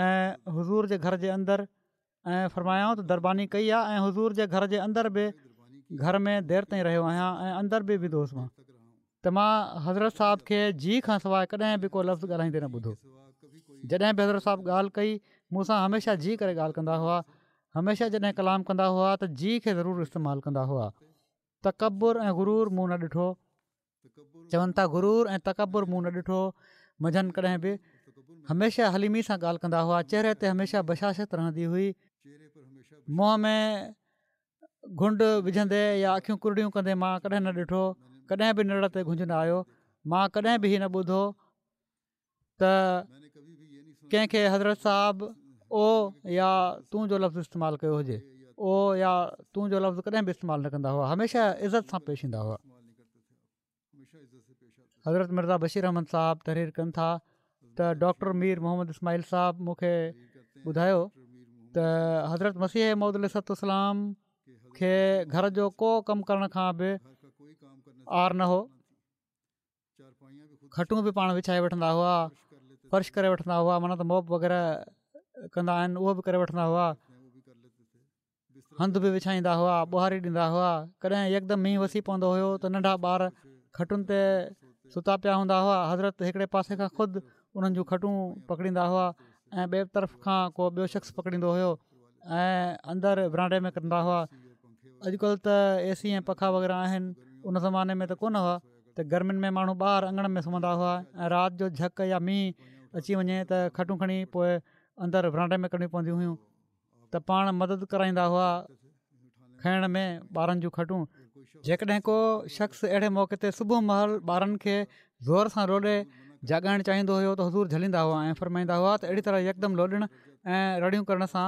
۽ حضور جي گهر جي اندر ۽ فرمايائون ته درباني ڪئي آهي ۽ حضور جي گهر جي اندر به گهر ۾ دير تائين رهيو آهيان ۽ اندر به ويندو هوس مان ته مان حضرت صاحب کي جي کان سواء ڪڏهن به ڪو لفظ ڳالهائيندي نه ٻڌو جڏهن به حضرت صاحب ڳالهه ڪئي مون سان هميشه جي ڪري ڳالهه ڪندا هئا هميشه جڏهن ڪلام ڪندا هئا ته جي کي ضرور استعمال ڪندا هئا تڪبر ۽ غرور مون نه ڏٺو چون ٿا غرور ۽ تڪبر مون نه ڏٺو منجهن ڪڏهن به هميشه حليمي سان ڳالهه ڪندا هئا چهري تي هميشه بشاشت رهندي هئي منهن ۾ گهنڊ وجهندي يا اکيون ڪرڙيون ڪندي مان ڪڏهن نه ڏٺو ڪڏهن به نرڙ تي گهنج نه آيو مان ڪڏهن به هي نه ٻڌو ته ڪنهن کي حضرت صاحب او يا تون جو لفظ استعمال ڪيو هجي او يا تون جو لفظ ڪڏهن به استعمال نه ڪندا هئا هميشه عزت سان پيش ايندا هئا حضرت مرزا بشير احمد صاحب تحرير ڪن ٿا ته ڊاڪٽر مير محمد اسماعيل صاحب مون کي ٻڌايو ته حضرت مسيح موعود عليه الصلوة والسلام کي گهر جو ڪو ڪم ڪرڻ کان به عار نه هو. کٽون به پاڻ وڇائي وٺندا هئا، فرش ڪري وٺندا هئا، معنيٰ ته موپ وغيره ڪندا آهن اهو به ڪري وٺندا هئا. هنڌ به وڇائيندا هئا، ٻهاري ڏيندا هئا، ڪڏهن يڪدم مينهن وسي پوندو هيو ته ننڍا ٻار کٽن تي ستا پيا هوندا هئا، حضرت هڪڙي پاسي کان خود انهن جون کٽون پڪڙيندا هئا ۽ ٻئي طرف کان ڪو ٻيو شخص پڪڙيندو هيو ۽ اندر ورانڊي ۾ ڪندا هئا. اڄڪلهه ته اي سي ۽ پکا وغيره آهن، ان زماني ۾ ته ڪونه هئا ته گرمين ۾ ماڻهو ٻاهر اڱڻ ۾ سمهندا هئا ۽ رات جو جهڪ يا مينهن اچي وڃي ته کٽون کڻي پوء اندر ورانڊي ۾ ڪرڻيون پونديون هيون. ته پاڻ مدد ڪرائيندا هئا کڻڻ ۾ ٻارن جون کٽون. جيڪڏهن ڪو شخص اهڙي موقعي تي صبح مهل ٻارن کي زور سان لوڏي جاڳائڻ چاهيندو هيو ته حضور جهليندا هئا ۽ فرمائيندا هئا ته اهڙي طرح يڪدم لوڏڻ ۽ رڙيون ڪرڻ سان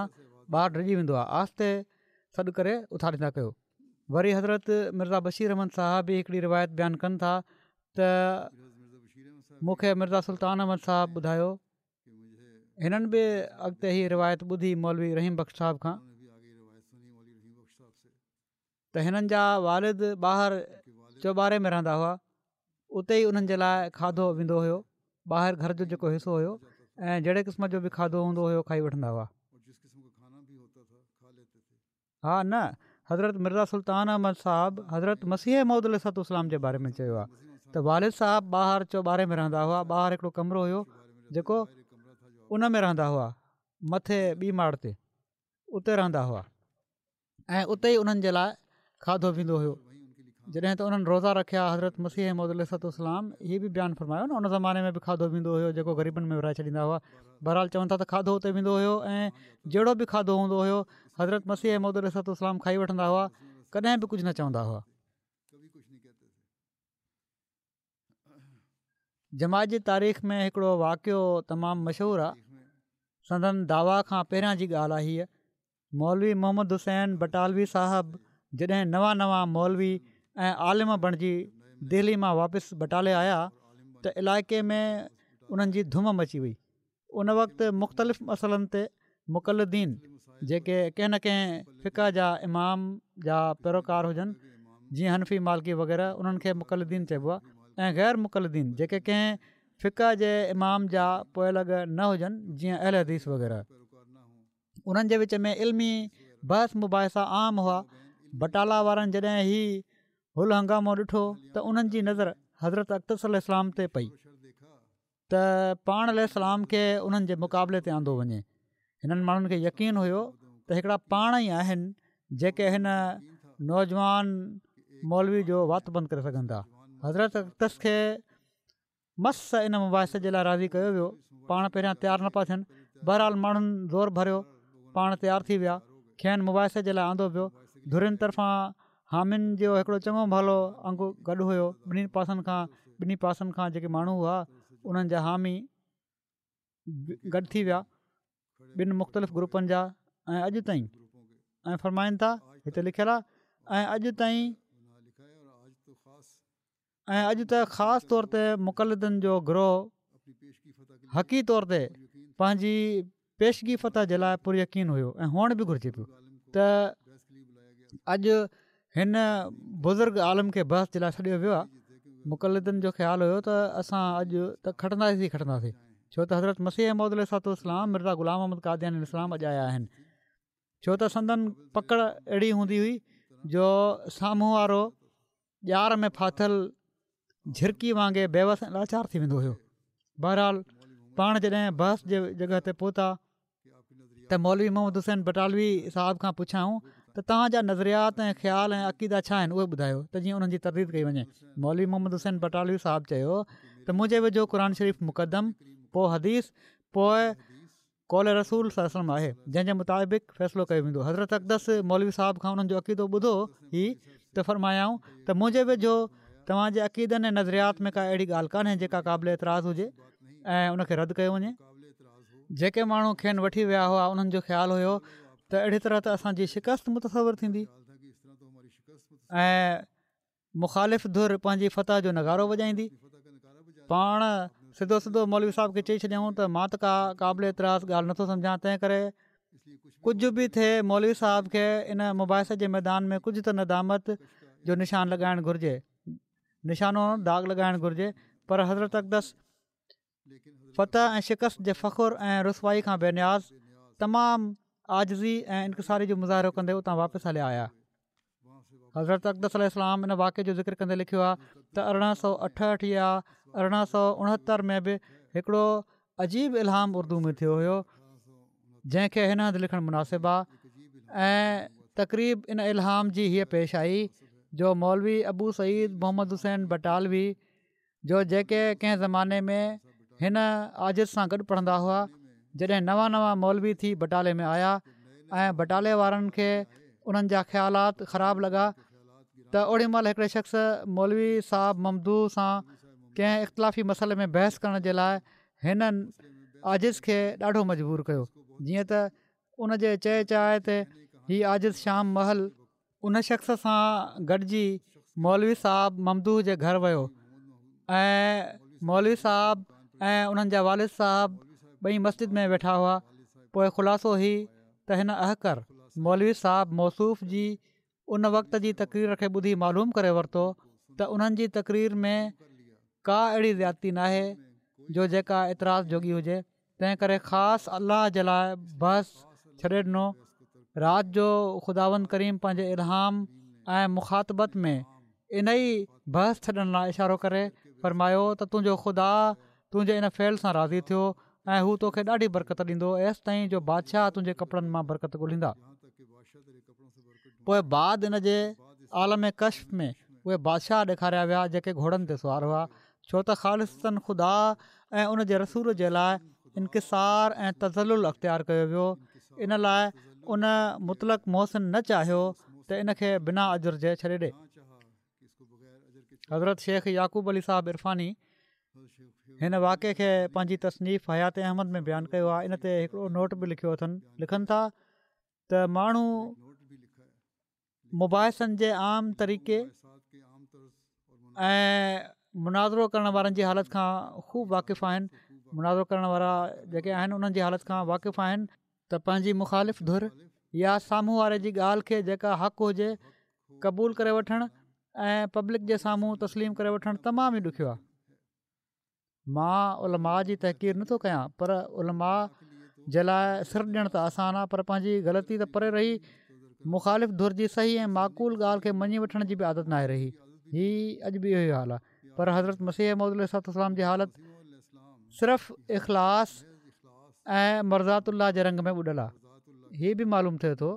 ٻار ڊڄي ويندو آهي، آهستي سڏ ڪري اٿاريندا ڪيو. وري حضرت مرزا بشير احمد صاحب به هڪڙي روايت بيان ڪن ٿا ته مون کي مرزا سلطان احمد صاحب ٻڌايو هنن به اڳتي هي روايت ٻڌي مولوي رحيم بخش صاحب کان ته هنن جا والد ٻاهر چوٻاري ۾ رهندا هئا اتي ئي انهن جي لاء کاڌو ويندو هيو ٻاهر گهر جو جيڪو حصو هيو ۽ جهڙي قسم جو به کاڌو هوندو هيو کائي وٺندا هئا. ها نه حضرت مرزا سلطان احمد صاحب حضرت مسيح موعود عليه الصلوة والسلام جي باري ۾ چيو آهي ته والد صاحب ٻاهر چوٻاري ۾ رهندا هئا ٻاهر هڪڙو ڪمرو هيو جيڪو ان ۾ رهندا هئا مٿي ٻي ماڙ تي اتي رهندا هئا ۽ اتي ئي انهن جي لاء کاڌو ويندو هيو جڏهن ته انهن روزا رکيا حضرت مسيح موعود عليه الصلوة والسلام هي به بيان فرمايو نه ان زماني ۾ به کاڌو ويندو هيو جيڪو غريبن ۾ ورهائي ڇڏيندا هئا بهرحال چون ٿا ته کاڌو اتي ويندو هيو ۽ جهڙو به کاڌو هوندو هيو حضرت مسيح موعود عليه الصلوة والسلام کائي وٺندا هئا ڪڏهن به ڪجهه نه چوندا هئا. جماعت جي تاريخ ۾ هڪڙو واقعو تمام مشهور آهي سندن دعويٰ کان پهريان جي ڳالهه آهي هيء مولوي محمد حسين بٽالوي صاحب جڏهن نوان نوان مولوي ۽ عالم بڻجي دهلي مان واپس بٽالي آيا ته علائقي ۾ انهن جي ڌم مچي وئي. ان وقت مختلف مسئلن تي مقلدين جيڪي ڪنهن نه ڪنهن فقه جا امام جا پيروڪار هجن جيئن حنفي مالڪي وغيره انهن کي مقلدين چئبو آهي ۽ غير مقلدين جيڪي ڪنهن فقه جي امام جا پوئلڳ نه هجن جيئن اهل حديث وغيره. انهن جي وچ ۾ علمي بحث مباحثا عام هئا. بٽالا وارن جڏهن هي هل هنگامو ڏٺو ته انهن جي نظر حضرت اقدس عليه السلام تي پئي ته پاڻ عليه السلام کي انهن جي مقابلي تي آندو وڃي. هنن ماڻهن کي يقين هيو ته هڪڙا پاڻ ئي آهن جيڪي هن نوجوان مولوي جو وات بند ڪري سگهن ٿا. حضرت اقدس کي مس ان مباحثي جي لاء راضي ڪيو ويو پاڻ پهريان تيار نه پيا ٿين بهرحال ماڻهن زور ڀريو پاڻ تيار ٿي ويا کين مباحثي جي لاء آندو ويو ڌرين طرفان حامين جو هڪڙو چڱو ڀلو انگ گڏ هيو ٻنهي پاسن کان ٻنهي پاسن کان جيڪي ماڻهو هئا انهن جا حامي گڏ ٿي ويا ٻن مختلف گروپن جا ۽ اڄ تائين ۽ فرمائن ٿا هتي لکيل آهي ۽ اڄ تائين ۽ اڄ ته خاص طور تي مقلدن جو گروهه حقي طور تي پنهنجي پيشگي فتح جي لاء پر يقين هيو ۽ هئڻ به گهرجي پيو ته اڄ هن بزرگ عالم کي بحث جي لاء سڏيو ويو آهي مقلدن جو خيال هيو ته اسان اڄ ته کٽنداسين ئي کٽنداسين ڇو ته حضرت مسيح موعود عليه الصلوة والسلام مرزا غلام احمد قادياني عليه السلام اڄ آيا آهن ڇو ته سندن پڪڙ اهڙي هوندي هئي جو سامهون وارو ڄار ۾ ڦاٿل جهرڪي وانگي بيوس ۽ لاچار ٿي ويندو هيو. بهرحال پاڻ جڏهن بحث جي جڳهه تي پهتا ته مولوي محمد حسين بٽالوي صاحب کان پڇيائون ته توهان جا نظريات ۽ خيال ۽ عقيدا ڇا آهن اهي ٻڌايو ته جيئن انهن جي ترديد ڪئي وڃي. مولوي محمد حسين بٽالوي صاحب چيو ته منهنجي ويجهو قرآن شريف مقدم پوء حديث پوء قول رسول صلي الله عليه وسلم آهي جنهن جي مطابق فيصلو ڪيو ويندو حضرت اقدس مولوي صاحب کان انهن جو عقيدو ٻڌو هي ته فرمايائون ته منهنجي ويجهو توهان جي عقيدن ۽ نظريات ۾ ڪا اهڙي ڳالهه ڪانهي جيڪا قابل اعتراض هجي ۽ ان کي رد ڪيو وڃي جيڪي ماڻهو کين وٺي ويا هئا انهن جو خيال هيو ته اهڙي طرح ته اسان جي شڪست متصور ٿيندي ۽ مخالف ڌر پنهنجي فتح جو نغارو وڄائيندي. پاڻ سڌو سڌو مولوي صاحب کي چئي ڇڏيائون ته مان ته ڪا قابل اعتراض ڳالهه نٿو سمجهان، تنهن ڪري ڪجهه به ٿئي مولوي صاحب کي ان مباحثي جي ميدان ۾ ڪجهه ته ندامت جو نشان لڳائڻ گهرجي، نشانو داغ لڳائڻ گهرجي. پر حضرت اقدس فتح ۽ شڪست جي فخر ۽ رسوائي کان بي نياز تمام عاجزي ۽ انڪساري جو مظاهرو ڪندي اتان واپس هليا آيا. حضرت اقدس عليه السلام ان واقعي جو ذڪر ڪندي لکيو آهي ته ارڙهن سؤ اٺهٺ يا ارڙهن سؤ اڻهتر ۾ به هڪڙو عجيب الهام اردو ۾ ٿيو هيو جنهن کي هن هنڌ لکڻ مناسب آهي ۽ تقريب ان الهام جي هيء پيش آئي جو مولوي ابو سعيد محمد حسين بٽالوي جو جيڪي ڪنهن زماني ۾ هن عاجز سان گڏ پڙهندا هئا، جڏهن نوان نوان مولوي ٿي بٽالي ۾ آيا ۽ بٽالي وارن کي انهن جا خيالات خراب لڳا ته اوڏي مهل هڪڙي شخص مولوي صاحب ممدوح سان ڪنهن اختلافي مسئلي ۾ بحث ڪرڻ جي لاء هن عاجز کي ڏاڍو مجبور ڪيو جيئن ته ان جي چئي چائي تي هي عاجز شام مهل ان شخص سان گڏجي مولوي صاحب ممدوح جي گهر ويو ۽ مولوي صاحب ۽ انهن جا والد صاحب ٻئي مسجد ۾ ويٺا هئا پوء خلاصو هي ته هن احقر مولوي صاحب موصوف جي ان وقت جي تقرير کي ٻڌي معلوم ڪري ورتو ته انهن جي تقرير ۾ ڪا اهڙي زيادتي ناهي جو جيڪا اعتراض جوڳي هجي تنهن ڪري خاص الله جي لاء بحث ڇڏي ڏنو. رات جو خداوند ڪريم پنهنجي الهام ۽ مخاطبت ۾ انهي بحث ڇڏڻ لاء اشارو ڪري فرمايو ته تنهنجو خدا تنهنجي ان فعل سان راضي ٿيو ۽ هو توکي ڏاڍي برڪت ڏيندو ايستائين جو بادشاهه تنهنجي ڪپڙن مان برڪت ڳولهيندا. پوء بعد ان جي عالم ڪشف ۾ اهي بادشاهه ڏيکاريا ويا جيڪي گهوڙن تي سوار هئا ڇو ته خالصتاً خدا ۽ ان جي رسول جي لاء انڪسار ۽ تذلل اختيار ڪيو ويو ان لاء ان مطلق محسن نه چاهيو ته ان کي بنا اجر جي ڇڏي ڏي. حضرت شيخ يعقوب علي صاحب عرفاني هن واقعي کي پنهنجي تصنيف حيات احمد ۾ بيان ڪيو آهي ان تي هڪڙو نوٽ به لکيو اٿن لکن ٿا ته ماڻهو مباحثن جي عام طريقي ۽ مناظرو ڪرڻ وارن جي حالت کان خوب واقف آهن مناظرو ڪرڻ وارا جيڪي آهن انهن جي حالت کان واقف آهن ته پنهنجي مخالف ڌر يا سامهون واري جي ڳالهه کي جيڪا حق هجي قبول ڪري وٺڻ ۽ پبلڪ جي سامهون تسليم ڪري وٺڻ تمام ئي ڏکيو آهي مان علماء جي تحقير نٿو ڪيان پر علماء جي لاء سر ڏيڻ ته آسان آهي پر پنهنجي غلطي ته پري رهي مخالف ڌر جي صحيح ۽ معقول ڳالهه کي مڃي وٺڻ جي به عادت ناهي رهي هي اڄ به اهو ئي حال آهي پر حضرت مسيح موعود عليه الصلوة والسلام جي حالت صرف اخلاص ۽ مرضات الله جي رنگ ۾ ٻڏل آهي هي به معلوم ٿئي ٿو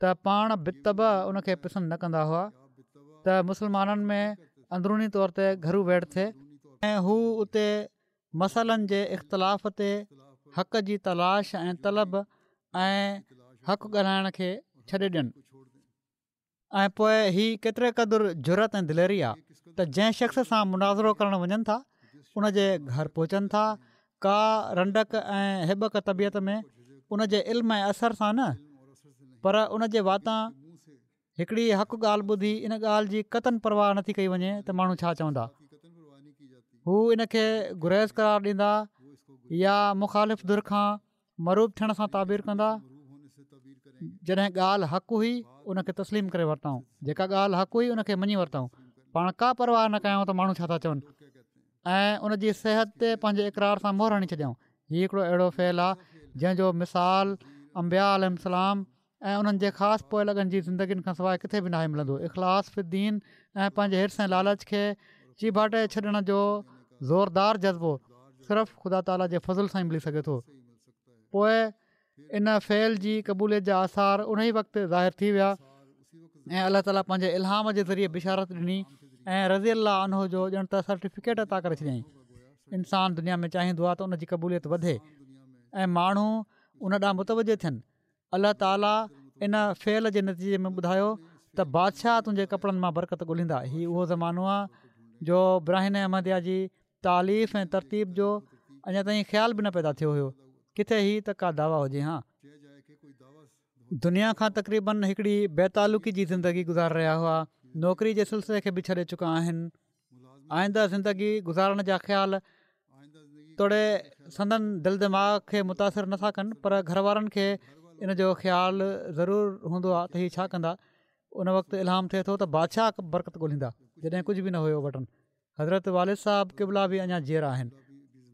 ته پاڻ بالطبع ان کي پسند نه ڪندا هئا ته مسلمانن ۾ اندروني طور تي گهرو ويڙهه ٿئي ۽ هو اتي مسئلن جي اختلاف تي حق جي تلاش ۽ طلب ۽ حق ڳالهائڻ کي ڇڏي ڏين ۽ پوء هي ڪيتري قدر جرئت ۽ دليري آ ته جنهن شخص سان مناظرو ڪرڻ وڃن ٿا ان جي گهر پهچن ٿا ڪا رنڊڪ ۽ هٻڪ طبيعت ۾ ان جي علم ۽ اثر سان نه پر ان جي واتان هڪڙي حق ڳالهه ٻڌي ان ڳالهه جي قطعاً پرواهه نٿي ڪئي وڃي ته ماڻهو ڇا چوندا هو ان کي گريز قرار ڏيندا يا مخالف ڌر کان مرعوب ٿيڻ سان تعبير ڪندا جڏهن ڳالهه حق هئي ان کي تسليم ڪري ورتائون جيڪا ڳالهه حق هئي ان کي مڃي ورتائون پاڻ ڪا پرواهه نه ڪيائون ته ماڻهو ڇا ٿا چون ۽ ان جي صحت تي پنهنجي اقرار سان مهر هڻي ڇڏيائون. هي هڪڙو اهڙو فعل آهي جنهن جو مثال انبياء عليهم السلام ۽ انهن جي خاص پوئلڳن جي زندگين کان سواء ڪٿي به ناهي ملندو. اخلاص في الدين ۽ پنهنجي حرص ۽ لالچ کي چيڀاٽي ڇڏڻ جو زوردار جذبو صرف خدا تعاليٰ جي فضل سان ئي ملي سگهي ٿو. پوء ان فعل جي قبوليت جا آثار انهي وقت ظاهر ٿي ويا ۽ الله تعالي پنهنجي الهام جي ذريعي بشارت ڏني ۽ رضي الله عنه جو ڄڻ ته سرٽيفڪيٽ عطا ڪري ڇڏيائين انسان دنيا ۾ چاهيندو آهي ته ان جي قبوليت وڌي ۽ ماڻهو ان ڏانهن متوجه ٿين الله تعالي ان فعل جي نتيجي ۾ ٻڌايو ته بادشاهه تنهنجي ڪپڙن مان برڪت ڳولهيندا هي اهو زمانو آهي جو براهين احمديه جي تاليف ۽ ترتيب جو اڃا تائين خيال به نه پيدا ٿيو هيو ڪٿي هي ته ڪا دعويٰ هجي هان. دنيا کان تقريبن هڪڙي بي تعلقي جي زندگي گذاري رهيا هئا نوڪري جي سلسلي کي به ڇڏي چڪا آهن آئنده زندگي گذارڻ جا خيال توڙي سندن دل دماغ کي متاثر نٿا ڪن پر گهر وارن کي ان جو خيال ضرور هوندو آهي ته هي ڇا ڪندا. ان وقت الهام ٿئي ٿو ته بادشاهه برڪت ڳولهيندا، جڏهن ڪجهه به نه هيو وٽن. حضرت والد صاحب قبلا به اڃا جيئرا آهن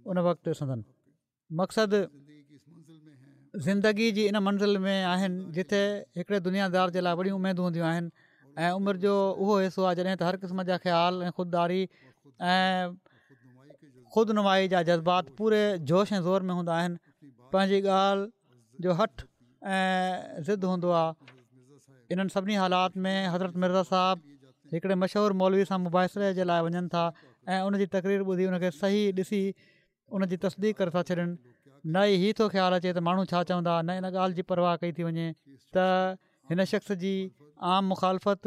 ان وقت. سندن مقصد زندگي جي ان منزل ۾ آهن جتي هڪڙي دنيادار جي لاءِ وڏيون اميدون هونديون آهن ۽ عمر جو اهو حصو آهي جڏهن ته هر قسم جا خيال ۽ خودداري ۽ خود نمائي جا جذبات پوري جوش ۽ زور ۾ هوندا آهن. پنهنجي ڳالهه جو هٺ ۽ ضد هوندو آهي. انهن سڀني حالات ۾ حضرت مرزا صاحب هڪڙي مشهور مولوي سان مباحثي جي لاءِ وڃن ٿا ۽ ان جي تقرير ٻڌي ان کي صحيح ڏسي ان جي تصديق ڪري ٿا ڇڏن. نه ئي هي ٿو خيال اچي ته ماڻهو ڇا چوندا، نه ان ڳالهه جي پرواهه ڪئي ٿي وڃي ته هن شخص جي عام مخالفت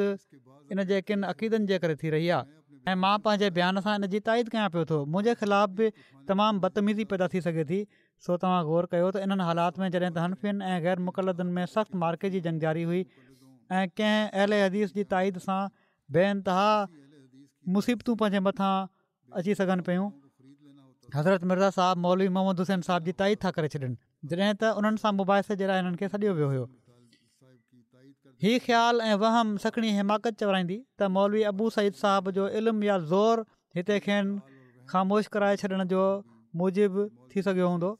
ان جي ڪن عقيدن جي ڪري ٿي رهي آهي ۽ مان پنهنجي بيان سان ان جي تائيد ڪيان پيو ٿو. منهنجي خلاف به تمام بدتميزي پيدا ٿي سگهي ٿي. سو توهان غور ڪيو ته انهن حالات ۾ جڏهن ته حنفين ۽ غير مقلدن ۾ سخت معرڪي جي جنگ جاري هئي ۽ ڪنهن اهل حديث جي تائيد سان بي انتها مصيبتون پنهنجي مٿان اچي سگهن پيون، حضرت مرزا صاحب مولوي محمد حسين صاحب جي تائيد ٿا ڪري ڇڏن، جڏهن ته انهن سان مباحثي جي لاءِ هنن کي سڏيو ويو هيو. هي خيال ۽ وهم سکڻي حماقت چورائيندي ته مولوي ابو سعيد صاحب جو علم يا زور هتي کين خاموش ڪرائي ڇڏڻ جو موجب ٿي سگهيو هوندو.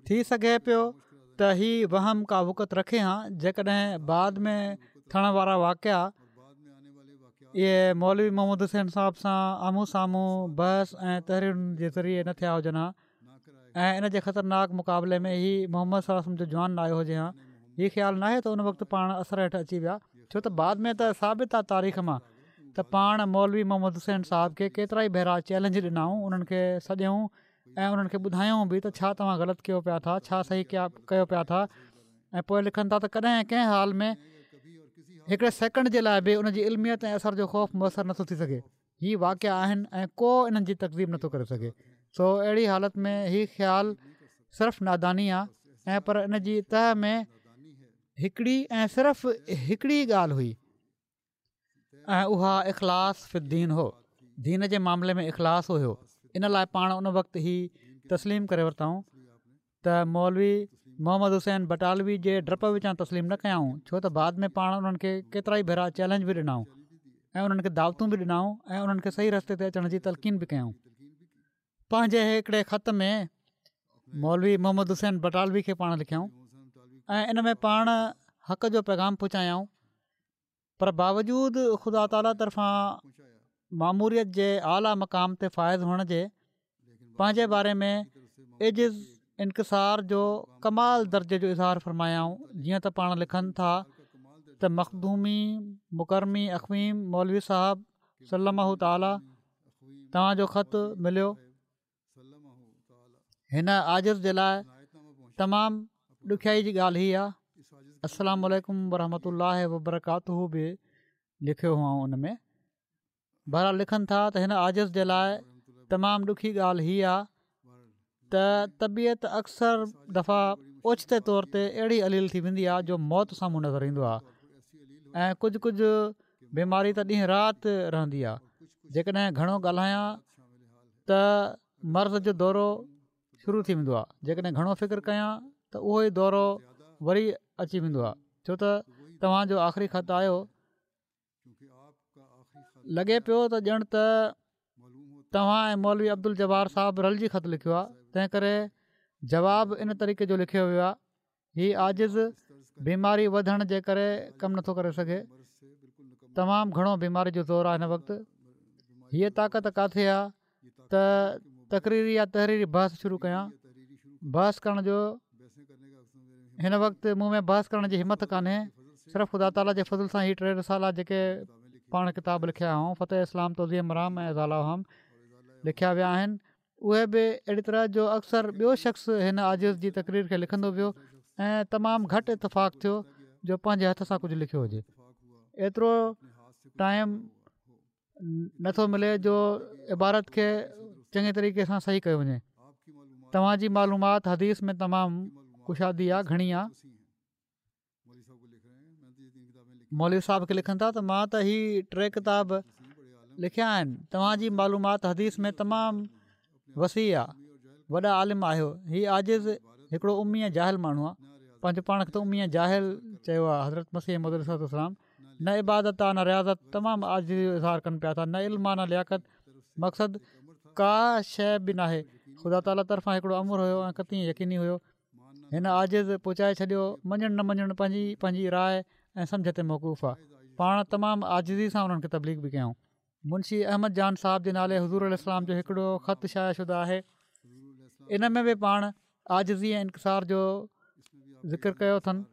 ٿي سگهي پيو ته هي وهم ڪا وقعت رکي هان جيڪڏهن بعد ۾ ٿيڻ وارا واقعا اهي مولوي محمد حسين صاحب سان آمهون سامهون بحث ۽ تحريرن جي ذريعي نه ٿيا هجن ها ۽ ان جي خطرناڪ مقابلي ۾ هي محمد صلي الله عليه وسلم جو جوان نه آيو هجي ها. هي خيال ناهي ته ان وقت پاڻ اثر هيٺ اچي ويا، ڇو ته بعد ۾ ته ثابت آ تاريخ مان ته پاڻ مولوي محمد حسين صاحب کي ڪيترائي ڀيرا چئلينج ڏنائون، انهن کي سڏيائون ۽ انهن کي ٻڌايائون به ته ڇا توهان غلط ڪيو پيا ٿا، ڇا صحيح ڪيو پيا ٿا. ۽ پوءِ لکن ٿا ته ڪڏهن ڪنهن حال ۾ هڪڙي سيڪنڊ جي لاءِ به ان جي علميت ۽ اثر جو خوف مؤثر نٿو ٿي سگهي. هي واقعا آهن ۽ ڪو انهن جي تڪذيب نٿو ڪري سگهي. سو اهڙي حالت ۾ هي خيال صرف ناداني آهي ۽ پر ان جي تهه ۾ هڪڙي ۽ صرف هڪڙي ڳالهه هئي ۽ اها اخلاص في الدين هو. دين جي معاملي ۾ اخلاص هيو. ان لاءِ پاڻ ان وقت هي تسليم ڪري ورتائون ته مولوي محمد حسين بٽالوي جي ڊپ وچان تسليم نه ڪيائون، ڇو ته بعد ۾ پاڻ انهن کي ڪيترائي ڀيرا چئلينج به ڏنائون ۽ انهن کي دعوتون به ڏنائون ۽ انهن کي صحيح رستي تي اچڻ جي تلقين به ڪيائون. پنهنجي هڪڙي خط ۾ مولوي محمد حسين بٽالوي کي پاڻ لکيائون ۽ ان ۾ پاڻ حق جو پيغام پهچايائون، پر باوجود خدا تعاليٰ طرفان ماموريت جي اعليٰ مقام تي فائز هئڻ جي پنهنجي باري ۾ عجز انڪسار جو ڪمال درجي جو اظهار فرمايائون. جيئن ته پاڻ لکن ٿا ته مخدومي مڪرمي اخويم مولوي صاحب سلمه تعاليٰ توهان جو خط مليو، هن عاجز جي لاءِ تمام ڏکيائي جي ڳالهه هي آهي. السلام عليڪم ورحمة الله وبرڪاته به لکيو هئائون ان ۾. بهرحال لکن ٿا ته هن عاجز جي لاءِ تمام ڏکي ڳالهه هي آهي ته طبيعت اڪثر دفعا اوچتي طور تي اهڙي عليل ٿي ويندي آهي جو موت سامهون نظر ايندو آهي ۽ ڪجهه ڪجهه بيماري ته ڏينهن رات رهندي آهي. جيڪڏهن گهڻو ڳالهايان ته مرض جو دورو شروع ٿي ويندو آهي، جيڪڏهن گهڻو فڪر ڪيان ته اهو ئي دورو وري اچي ويندو آهي. ڇو ته توهان جو آخري خط آيو، لڳي پيو ته ڄڻ ته توهان ۽ مولوي عبدالجبار صاحب رلجي خط لکيو آهي، تنهن ڪري جواب ان طريقي جو لکيو ويو آهي. هي عاجز بيماري وڌڻ جي ڪري ڪم نٿو ڪري سگهي، تمام گهڻو بيماري جو زور آهي هن وقت. هيءَ طاقت ڪاٿي آهي ته تقريري يا تحريري بحث شروع ڪيان. بحث ڪرڻ جو هن وقت مون ۾ بحث ڪرڻ جي همت ڪانهي. صرف خدا تعاليٰ جي فضل سان هي ٽي رسالا جيڪي پاڻ ڪتاب لکيا هئائون، فتح اسلام، توضيح مرام ۽ ازاله اوهام لکيا ويا آهن، اهي به اهڙي طرح جو اڪثر ٻيو شخص هن عاجز جي تقرير کي لکندو ويو ۽ تمام گهٽ اتفاق ٿيو جو پنهنجي هٿ سان ڪجهه لکيو هجي. ايترو ٽائيم نٿو ملي جو عبارت کي چڱي طريقي سان صحيح ڪيو وڃي. توهان جي معلومات حديث ۾ تمام ڪشادي آهي، گهڻي آهي. مولوي صاحب کي لکن ٿا ته مان ته هي ٽي ڪتاب لکيا آهن توهان جي معلومات حديث ۾ تمام وسيع آهي، وڏا عالم آهيو. هي عاجز هڪڙو امي ۽ جاهل ماڻهو آهي، پنهنجو پاڻ کي ته امي ۽ جاهل چيو آهي حضرت مسيح موعود عليه الصلوة والسلام. نه عبادت آ نه رياضت، تمام عاجزي جو اظهار ڪن پيا ٿا، نه علم آ نه لياقت، مقصد ڪا شيء به ناهي، خدا تعاليٰ طرفان هڪڙو امر هيو ۽ قطعي يقيني هيو، هن عاجز پهچائي ڇڏيو، مڃڻ نه مڃڻ پنهنجي پنهنجي راء ۽ سمجهه تي موقوف آ، پاڻ تمام عاجزي سان انهن کي تبليغ به ڪيائون. منشي احمد جان صاحب جي نالي حضور عليه السلام جو هڪڙو خط شايع شده آهي، ان ۾ به پاڻ عاجزي ۽ انڪسار جو ذڪر ڪيو اٿن.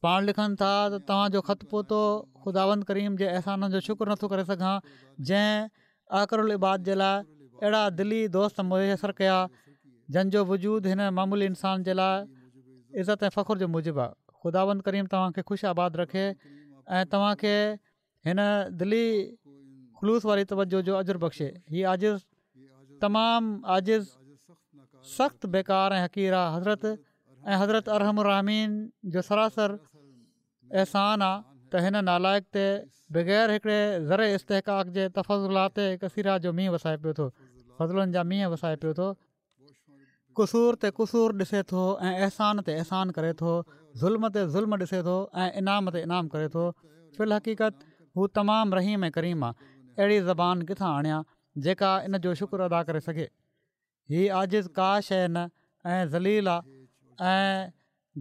پاڻ لکن ٿا ته توهان جو خط پهتو، خداوند ڪريم جي احسانن جو شڪر نٿو ڪري سگهان جنهن احقر العباد جي لاء اهڙا دلي دوست ميسر ڪيا جن جو وجود هن معمولي انسان جي لاء عزت ۽ فخر جو موجب آهي. خداوند ڪريم توهان کي خوش آباد رکي ۽ توهان کي هن دلي خلوص واري توجه جو اجر بخشي. هي عاجز تمام عاجز سخت بيڪار ۽ حقير آ حضرت ۽ حضرت ارحم الراحمين جو سراسر احسان آ ته هن نالائق تي بغير هڪڙي ذري استحقاق جي تفضلات ڪثيره جو مينهن وسائي پيو ٿو فضلن جا مينهن وسائي پيو ٿو. قصور تي قصور ڏسي ٿو ۽ احسان تي احسان ڪري ٿو، ظلم تي ظلم ڏسي ٿو ۽ انعام تي انعام ڪري ٿو، في الحقيقت هو تمام رحيم ۽ ڪريم آ، اهڙي زبان ڪٿان آڻيان جيڪا ان جو شڪر ادا ڪري سگهي. هي عاجز ڪا شيء نه ۽ ذليل آ ۽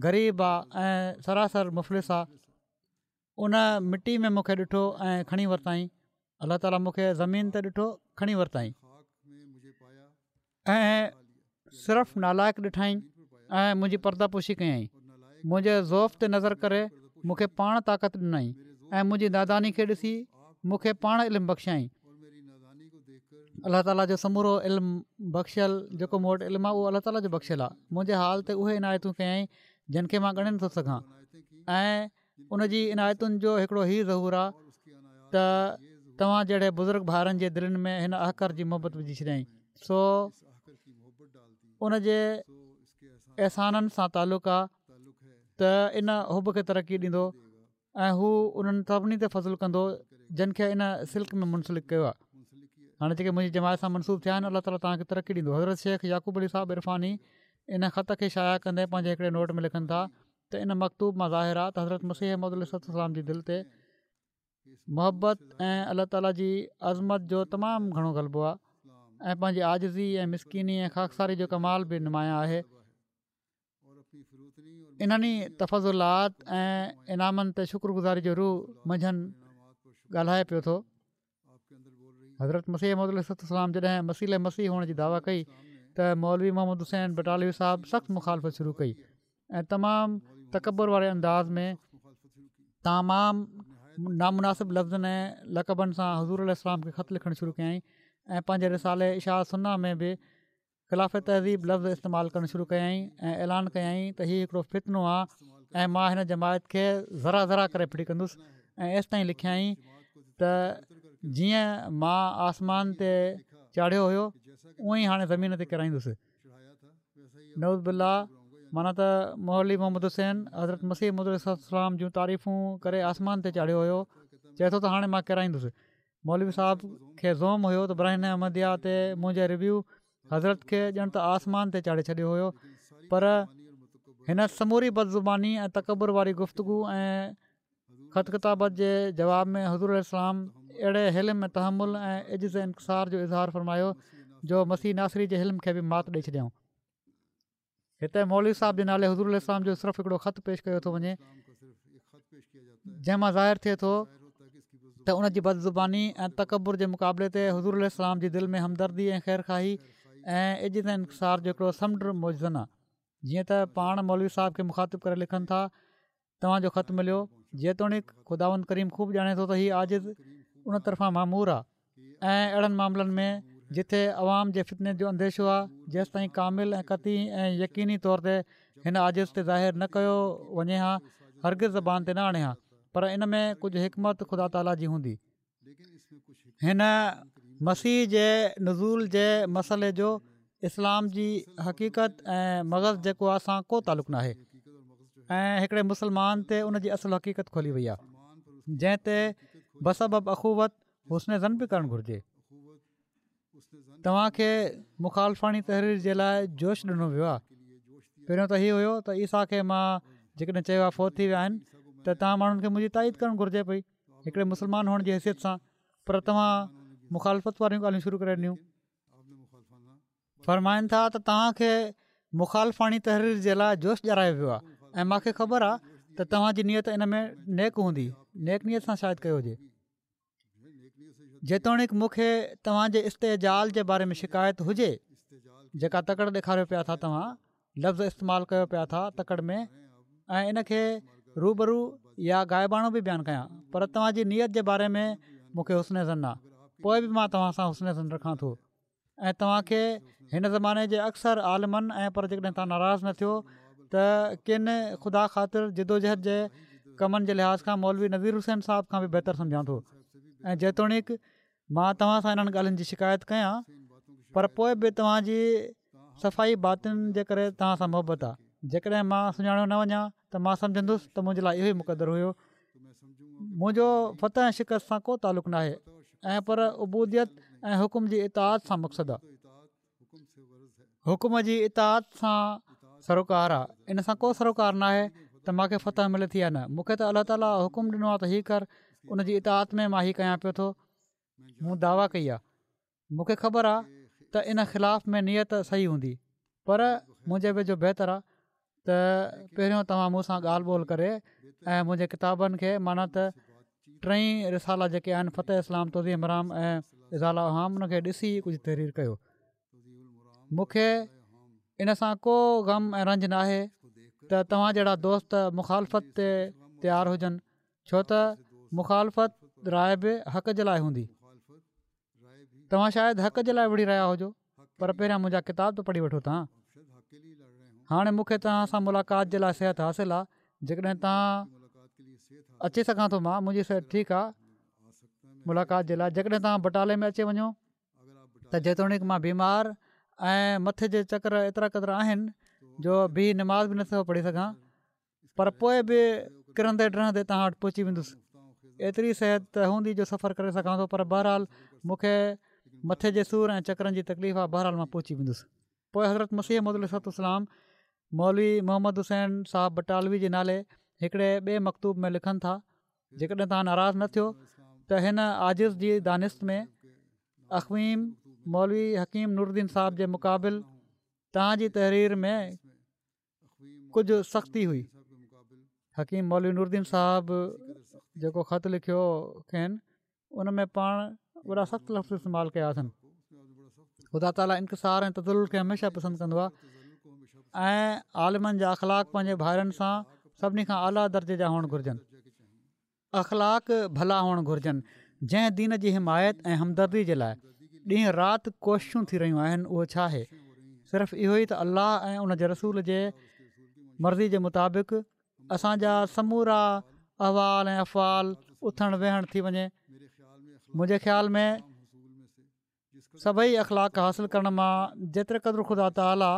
غريب آ ۽ سراسر مفلس آ. ان مٽي ۾ مون کي ڏٺو ۽ کڻي ورتائين. الله تعاليٰ مون کي زمين تي ڏٺو کڻي ورتائين ۽ صرف نالائق ڏٺائين ۽ منهنجي پرده پوشي ڪيائين. منهنجي ضعف تي نظر ڪري مون کي پاڻ طاقت ڏنائين ۽ منهنجي ناداني کي ڏسي مون کي پاڻ علم بخشيائين. الله تعاليٰ جو سمورو علم بخشيل جيڪو مون وٽ علم آهي اهو الله تعاليٰ جو بخشيل آهي منهنجي حال تي اهي عنايتون ڪيائين جن کي مان ڳڻي نٿو سگهان ۽ ان جي عنايتن جو هڪڙو هي ظهور آهي ته توهان جهڙي بزرگ ڀائرن جي دلين ۾ هن احقر جي محبت وجهي ڇڏيائين سو ان جي احسانن سان تعلق آهي ته ان حب کي ترقي ڏيندو ۽ هو انهن سڀني تي فضل ڪندو جن کي ان سلڪ ۾ منسلڪ ڪيو آهي. هاڻي جيڪي منهنجي جماعت سان منسوب ٿيا آهن الله تعالي توهان کي ترقي ڏيندو. حضرت شيخ يعقوب علي صاحب عرفاني ان خط کي شايع ڪندي پنهنجي هڪڙي نوٽ ۾ لکن ٿا ته ان مڪتوب مان ظاهر آهي ته حضرت مسيح موعود عليه الصلوة والسلام جي دل تي محبت ۽ الله تعالي جي عظمت جو تمام گهڻو غلبو آهي ۽ پنهنجي عاجزي ۽ مسڪيني ۽ خاڪساري جو ڪمال به نمايان آهي. انهن ئي تفضلات ۽ انعامن تي شڪر گذاري جو روح منجهن ڳالهائي پيو ٿو. حضرت مسيح موعود عليه الصلوة والسلام جڏهن مسيح مسيح هئڻ جي دعويٰ ڪئي ته مولوي محمد حسين بٽالوي صاحب سخت مخالفت شروع ڪئي ۽ تمام تڪبر واري انداز ۾ تمام نامناسب لفظن ۽ لقبن سان حضور عليه السلام کي خط لکڻ شروع ڪيائين ۽ پنهنجي رسالي اشاعت سنه ۾ به خلاف تهذيب لفظ استعمال ڪرڻ شروع ڪيائين ۽ اعلان ڪيائين ته هي هڪڙو فتنو آ ۽ مان هن جماعت کي ذرا ذرا ڪري ڦٽي ڪندس ۽ ايستائين لکيائين ته جيئن مان آسمان تي چاڙهيو هيو اونئن ئي هاڻي زمين تي ڪيرائيندس نعوذ بالله معنيٰ ته مولوي محمد حسين حضرت مسيح موعود عليه الصلوة والسلام جون تعريفون ڪري آسمان تي چاڙهيو هيو چئي ٿو ته هاڻي مان ڪيرائيندس مولوي صاحب کي زعم هيو ته براهين احمديه تي منهنجي ريويو حضرت کي ڄڻ ته آسمان تي چاڙهي ڇڏيو هيو پر هن سموري بدزباني ۽ تڪبر واري گفتگو ۽ خط ڪتابت جي جواب ۾ حضور عليه السلام اهڙي حلم ۽ تحمل ۽ عجز انڪسار جو اظهار فرمايو جو مسيح ناصري جي حلم کي به مات ڏئي ڇڏيائون. هتي مولوي صاحب جي نالي حضور عليه السلام جو صرف هڪڙو خط پيش ڪيو ٿو وڃي جنهن مان ظاهر ٿئي ٿو ته ان جي بدزباني ۽ تڪبر جي مقابلي تي حضور عليه السلام جي دل ۾ همدردي ۽ خير خواهي ۽ عجز ۽ انڪسار جو هڪڙو سمنڊ موجزن آهي جيئن ته پاڻ مولوي صاحب کي مخاطب ڪري لکن ٿا توهان جو خط مليو، جيتوڻيڪ خداوند ڪريم خوب ڄاڻي ٿو ته هي عاجز ان طرفان مامور آ ۽ اهڙن معاملن ۾ جتي عوام جي فتني جو انديشو آ جيستائين ڪامل ۽ قطعي ۽ يقيني طور تي هن عاجز تي ظاهر نه ڪيو وڃي ها هرگز زبان تي نه آڻي ها پر ان ۾ ڪجهه حڪمت خدا تعاليٰ جي هوندي. هن مسيح جي نزول جي مسئلي جو اسلام جي حقيقت ۽ مغز جيڪو آ سان ڪو تعلق ناهي ۽ هڪڙي مسلمان تي ان جي اصل حقيقت کولي وئي آهي جنهن تي بسبب اخوت حسن ظن به ڪرڻ گهرجي. توهان کي مخالفاڻي تحرير جي لاء جوش ڏنو ويو آهي. پهريون ته هي هيو ته عيسيٰ کي مان جيڪڏهن چيو آهي فوت ٿي ويا آهن ته توهان ماڻهن کي منهنجي تائيد ڪرڻ گهرجي پئي هڪڙي مسلمان هئڻ جي حيثيت سان، پر توهان مخالفت واريون ڳالهيون شروع ڪري ڏنيون. فرمائن ٿا ته توهان کي مخالفاڻي تحرير جي لاء جوش ڏياريو ويو آهي ۽ مان کي خبر آهي ته توهان جي نيت ان ۾ نيڪ هوندي، نيڪ نيت سان شايد ڪيو هجي. جيتوڻيڪ مون کي توهان جي استعجال جي باري ۾ شڪايت هجي، جيڪا تڪڙ ڏيکاريو پيا ٿا توهان لفظ استعمال ڪيو پيا ٿا تڪڙ ۾ ۽ ان کي روبرو يا غائباڻو به بيان ڪيان، پر توهان جي نيت جي باري ۾ مون کي حسن ظن آ، پوء به مان توهان سان حسن ظن رکان ٿو ۽ توهان کي هن زماني جي اڪثر عالمن ۽ پر جيڪڏهن توهان ناراض نه ٿيو ته ڪن خدا خاطر جدوجهد جي ڪمن جي لحاظ کان مولوي نذير حسين صاحب کان به بهتر سمجهان ٿو ۽ جيتوڻيڪ مان توهان سان انهن ڳالهين جي شڪايت ڪيان پر پوء به توهان جي صفائي باطن جي ڪري توهان سان محبت آهي. جيڪڏهن مان سڃاڻيو نه وڃان ته مان سمجهندس ته منهنجي لاء اهو ئي مقدر هيو. منهنجو فتح ۽ شڪست سان ڪو تعلق ناهي ۽ پر عبوديت ۽ حڪم جي اطاعت سان مقصد آهي. حڪم جي اطاعت سان سروڪار آ ان سان ڪو سروڪار ناهي ته مان کي فتح ملي ٿي يا نه مون کي ته الله تعالي حڪم ڏنو آ ته هي ڪر ان جي اطاعت ۾ مان هي ڪيان پيو ٿو مون دعويٰ ڪئي آ مون کي خبر آ ته ان خلاف ۾ نيت صحيح هوندي پر منهنجي ويجهو بهتر آ ته پهريون توهان مون سان ڳالهه ٻولهه ڪري ۽ منهنجي ڪتابن کي معنيٰ ته ٽئي رسالا جيڪي آهن فتح اسلام توضيح مرام ۽ ازاله اوهام ان کي ڏسي ڪجهه تحرير ڪيو مون کي ان سان ڪو غم ۽ رنج ناهي ته توهان جهڙا دوست مخالفت تي تيار هجن ڇو ته مخالفت راء به حق جي لاء هوندي توهان شايد حق جي لاء وڙهي رهيا هجو پر پهريان منهنجا ڪتاب ته پڙهي وٺو توهان هاڻي مون کي توهان سان ملاقات جي لاء صحت حاصل آهي جيڪڏهن توهان اچي سگهان ٿو مان منهنجي صحت ٺيڪ آهي ملاقات جي لاء جيڪڏهن توهان بٽالي ۾ اچي وڃو ته جيتوڻيڪ مان بيمار ۽ مٿي جي چڪر ايترا قدر آهن جو بيهي نماز به نٿو پڙهي سگهان پر پوء به ڪرندي ڊهندي توهان وٽ پهچي ويندس ايتري صحت ته هوندي جو سفر ڪري سگهان ٿو پر بهرحال مون کي مٿي جي سور ۽ چڪرن جي تڪليف آهي بهرحال مان پهچي ويندس پوء حضرت مسيح موعود عليه الصلوة والسلام مولوي محمد حسين صاحب بٽالوي جي نالي هڪڙي ٻئي مڪتوب ۾ لکن ٿا جيڪڏهن توهان ناراض نه ٿيو ته هن عاجز جي دانست ۾ اخويم مولوي حڪيم نورالدين صاحب جي مقابل توهان جي تحرير ۾ ڪجهه سختي هئي حڪيم مولوي نورالدين صاحب جيڪو خط لکيو کين ان ۾ پاڻ وڏا سخت لفظ استعمال ڪيا اٿن خدا تعاليٰ انڪسار ۽ تذلل کي هميشه پسند ڪندو آهي ۽ عالمن جا اخلاق پنهنجي ڀائرن سان سڀني کان اعليٰ درجي جا هئڻ گهرجن اخلاق ڀلا هئڻ گهرجن جنهن دين جي حمايت ۽ همدردي جي لاء ڏينهن رات ڪوششون ٿي رهيون آهن اهو ڇا آهي صرف اهو ئي ته الله ۽ ان جي رسول جي مرضي جي مطابق اسان جا سمورا احوال ۽ افعال اٿڻ ويهڻ ٿي وڃي منهنجي خيال ۾ سڀئي اخلاق حاصل ڪرڻ مان جيتري قدر خدا تعاليٰ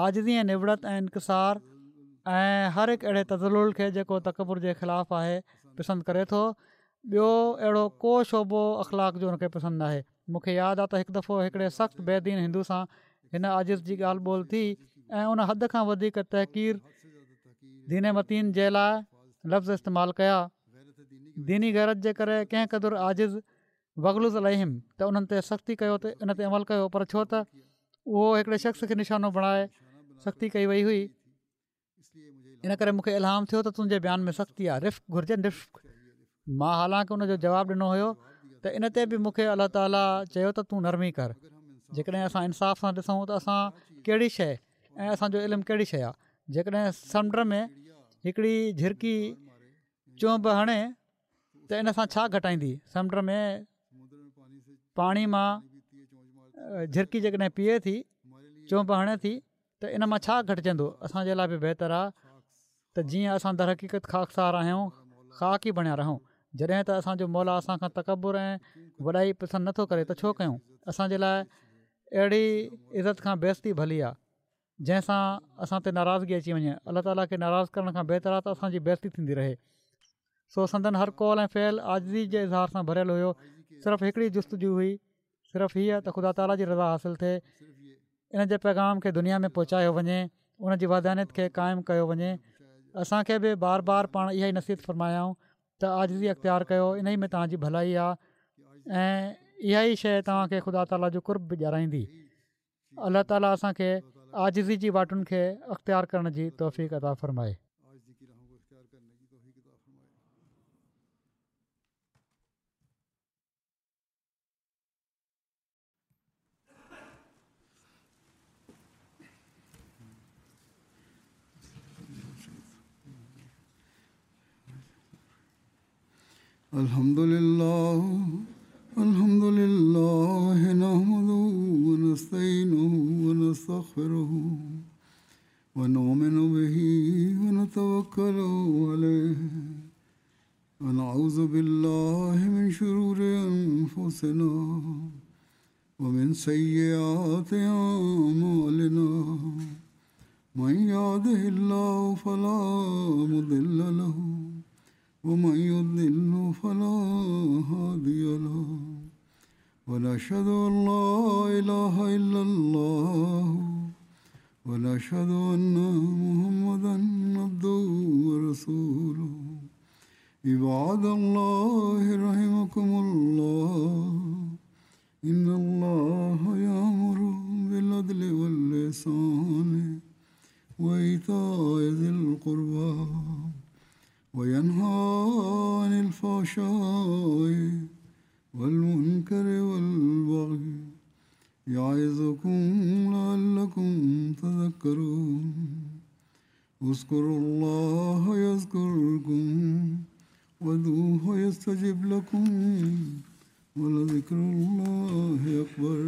عاجزي ۽ نوڙت ۽ انڪسار ۽ هر هڪ اهڙي تذلل کي جيڪو تڪبر جي خلاف آهي پسند ڪري ٿو ٻيو اهڙو ڪو شعبو اخلاق جو ان کي پسند ناهي مون کي ياد آ ته هڪ دفعو هڪڙي سخت بي دين هندو سان هن عاجز جي ڳالهه ٻولهه ٿي ۽ ان حد کان وڌيڪ تحقير دين متين جي لاء لفظ استعمال ڪيا ديني غيرت جي ڪري ڪنهن قدر عاجز واغلظ عليهم ته انهن تي سختي ڪيو ته ان تي عمل ڪيو پر ڇو ته اهو هڪڙي شخص کي نشانو بڻائي سختي ڪئي وئي هئي ان ڪري مون کي الهام ٿيو ته تنهنجي بيان ۾ سختي آهي رفق گهرجي رفق مان حالانڪ ان جو جواب ڏنو هيو ته ان تي به مون کي الله تعاليٰ چيو ته تون نرمي ڪر جيڪڏهن اسان انصاف سان ڏسون ته اسان ڪهڙي شيء ۽ اسانجو علم ڪهڙي شيء آهي جيڪڏهن سمنڊ ۾ هڪڙي جهرڪي چهنب هڻي ته ان سان ڇا گهٽائيندي سمنڊ ۾ پاڻي مان جهرڪي جيڪڏهن پيئي ٿي چهنب هڻي ٿي ته ان مان ڇا گهٽجندو؟ اسان جي لاء به بهتر آهي ته جيئن اسان درحقيقت خاڪسار آهيون خاڪ ئي بڻيا رهون. جڏهن ته اسان جو مولا اسان کان تڪبر ۽ وڏائي پسند نٿو ڪري ته ڇو ڪيون؟ اسان جي لاء اهڙي عزت کان بيعزتي ڀلي آهي جنهن سان اسان تي ناراضگي اچي وڃي. الله تعاليٰ کي ناراض ڪرڻ کان بهتر آهي ته اسان جي بيعزتي ٿيندي رهي. سو سندن هر قول ۽ فعل عاجزي جي اظهار سان ڀريل هيو. صرف هڪڙي جستجو هئي، صرف هيء ته خدا تعاليٰ جي رضا حاصل ٿئي، ان جي پيغام کي دنيا ۾ پهچايو وڃي، ان جي وحدانيت کي قائم ڪيو وڃي. اسان کي به بار بار پاڻ اها ئي نصيحت فرمايائون ته عاجزي اختيار ڪيو، انهي ۾ توهان جي ڀلائي آهي ۽ اها ئي شيء توهان کي خدا تعاليٰ جو قرب به ڏيارائيندي. الله تعاليٰ اسان کي عاجزي جي واٽن کي اختيار ڪرڻ جي توفيق عطا فرمائي. الحمد لله الحمد لله نحمده ونستعينه ونستغفره ونؤمن به ونتوكل عليه ونعوذ بالله من شرور أنفسنا ومن سيئات أعمالنا من يهده الله فلا مضل له ومن يضلل فلا هادي له ونشهد أن لا إله إلا الله ونشهد أن محمدا عبده ورسوله. عباد الله رحمكم الله، إن الله يأمر بالعدل والإحسان وإيتاء ذي القربى وينهى عن الفحشاء والمنكر والبغي يعظكم لعلكم تذكرون. اذكروا الله يذكركم وادعوه يستجب لكم ولذكر الله أكبر.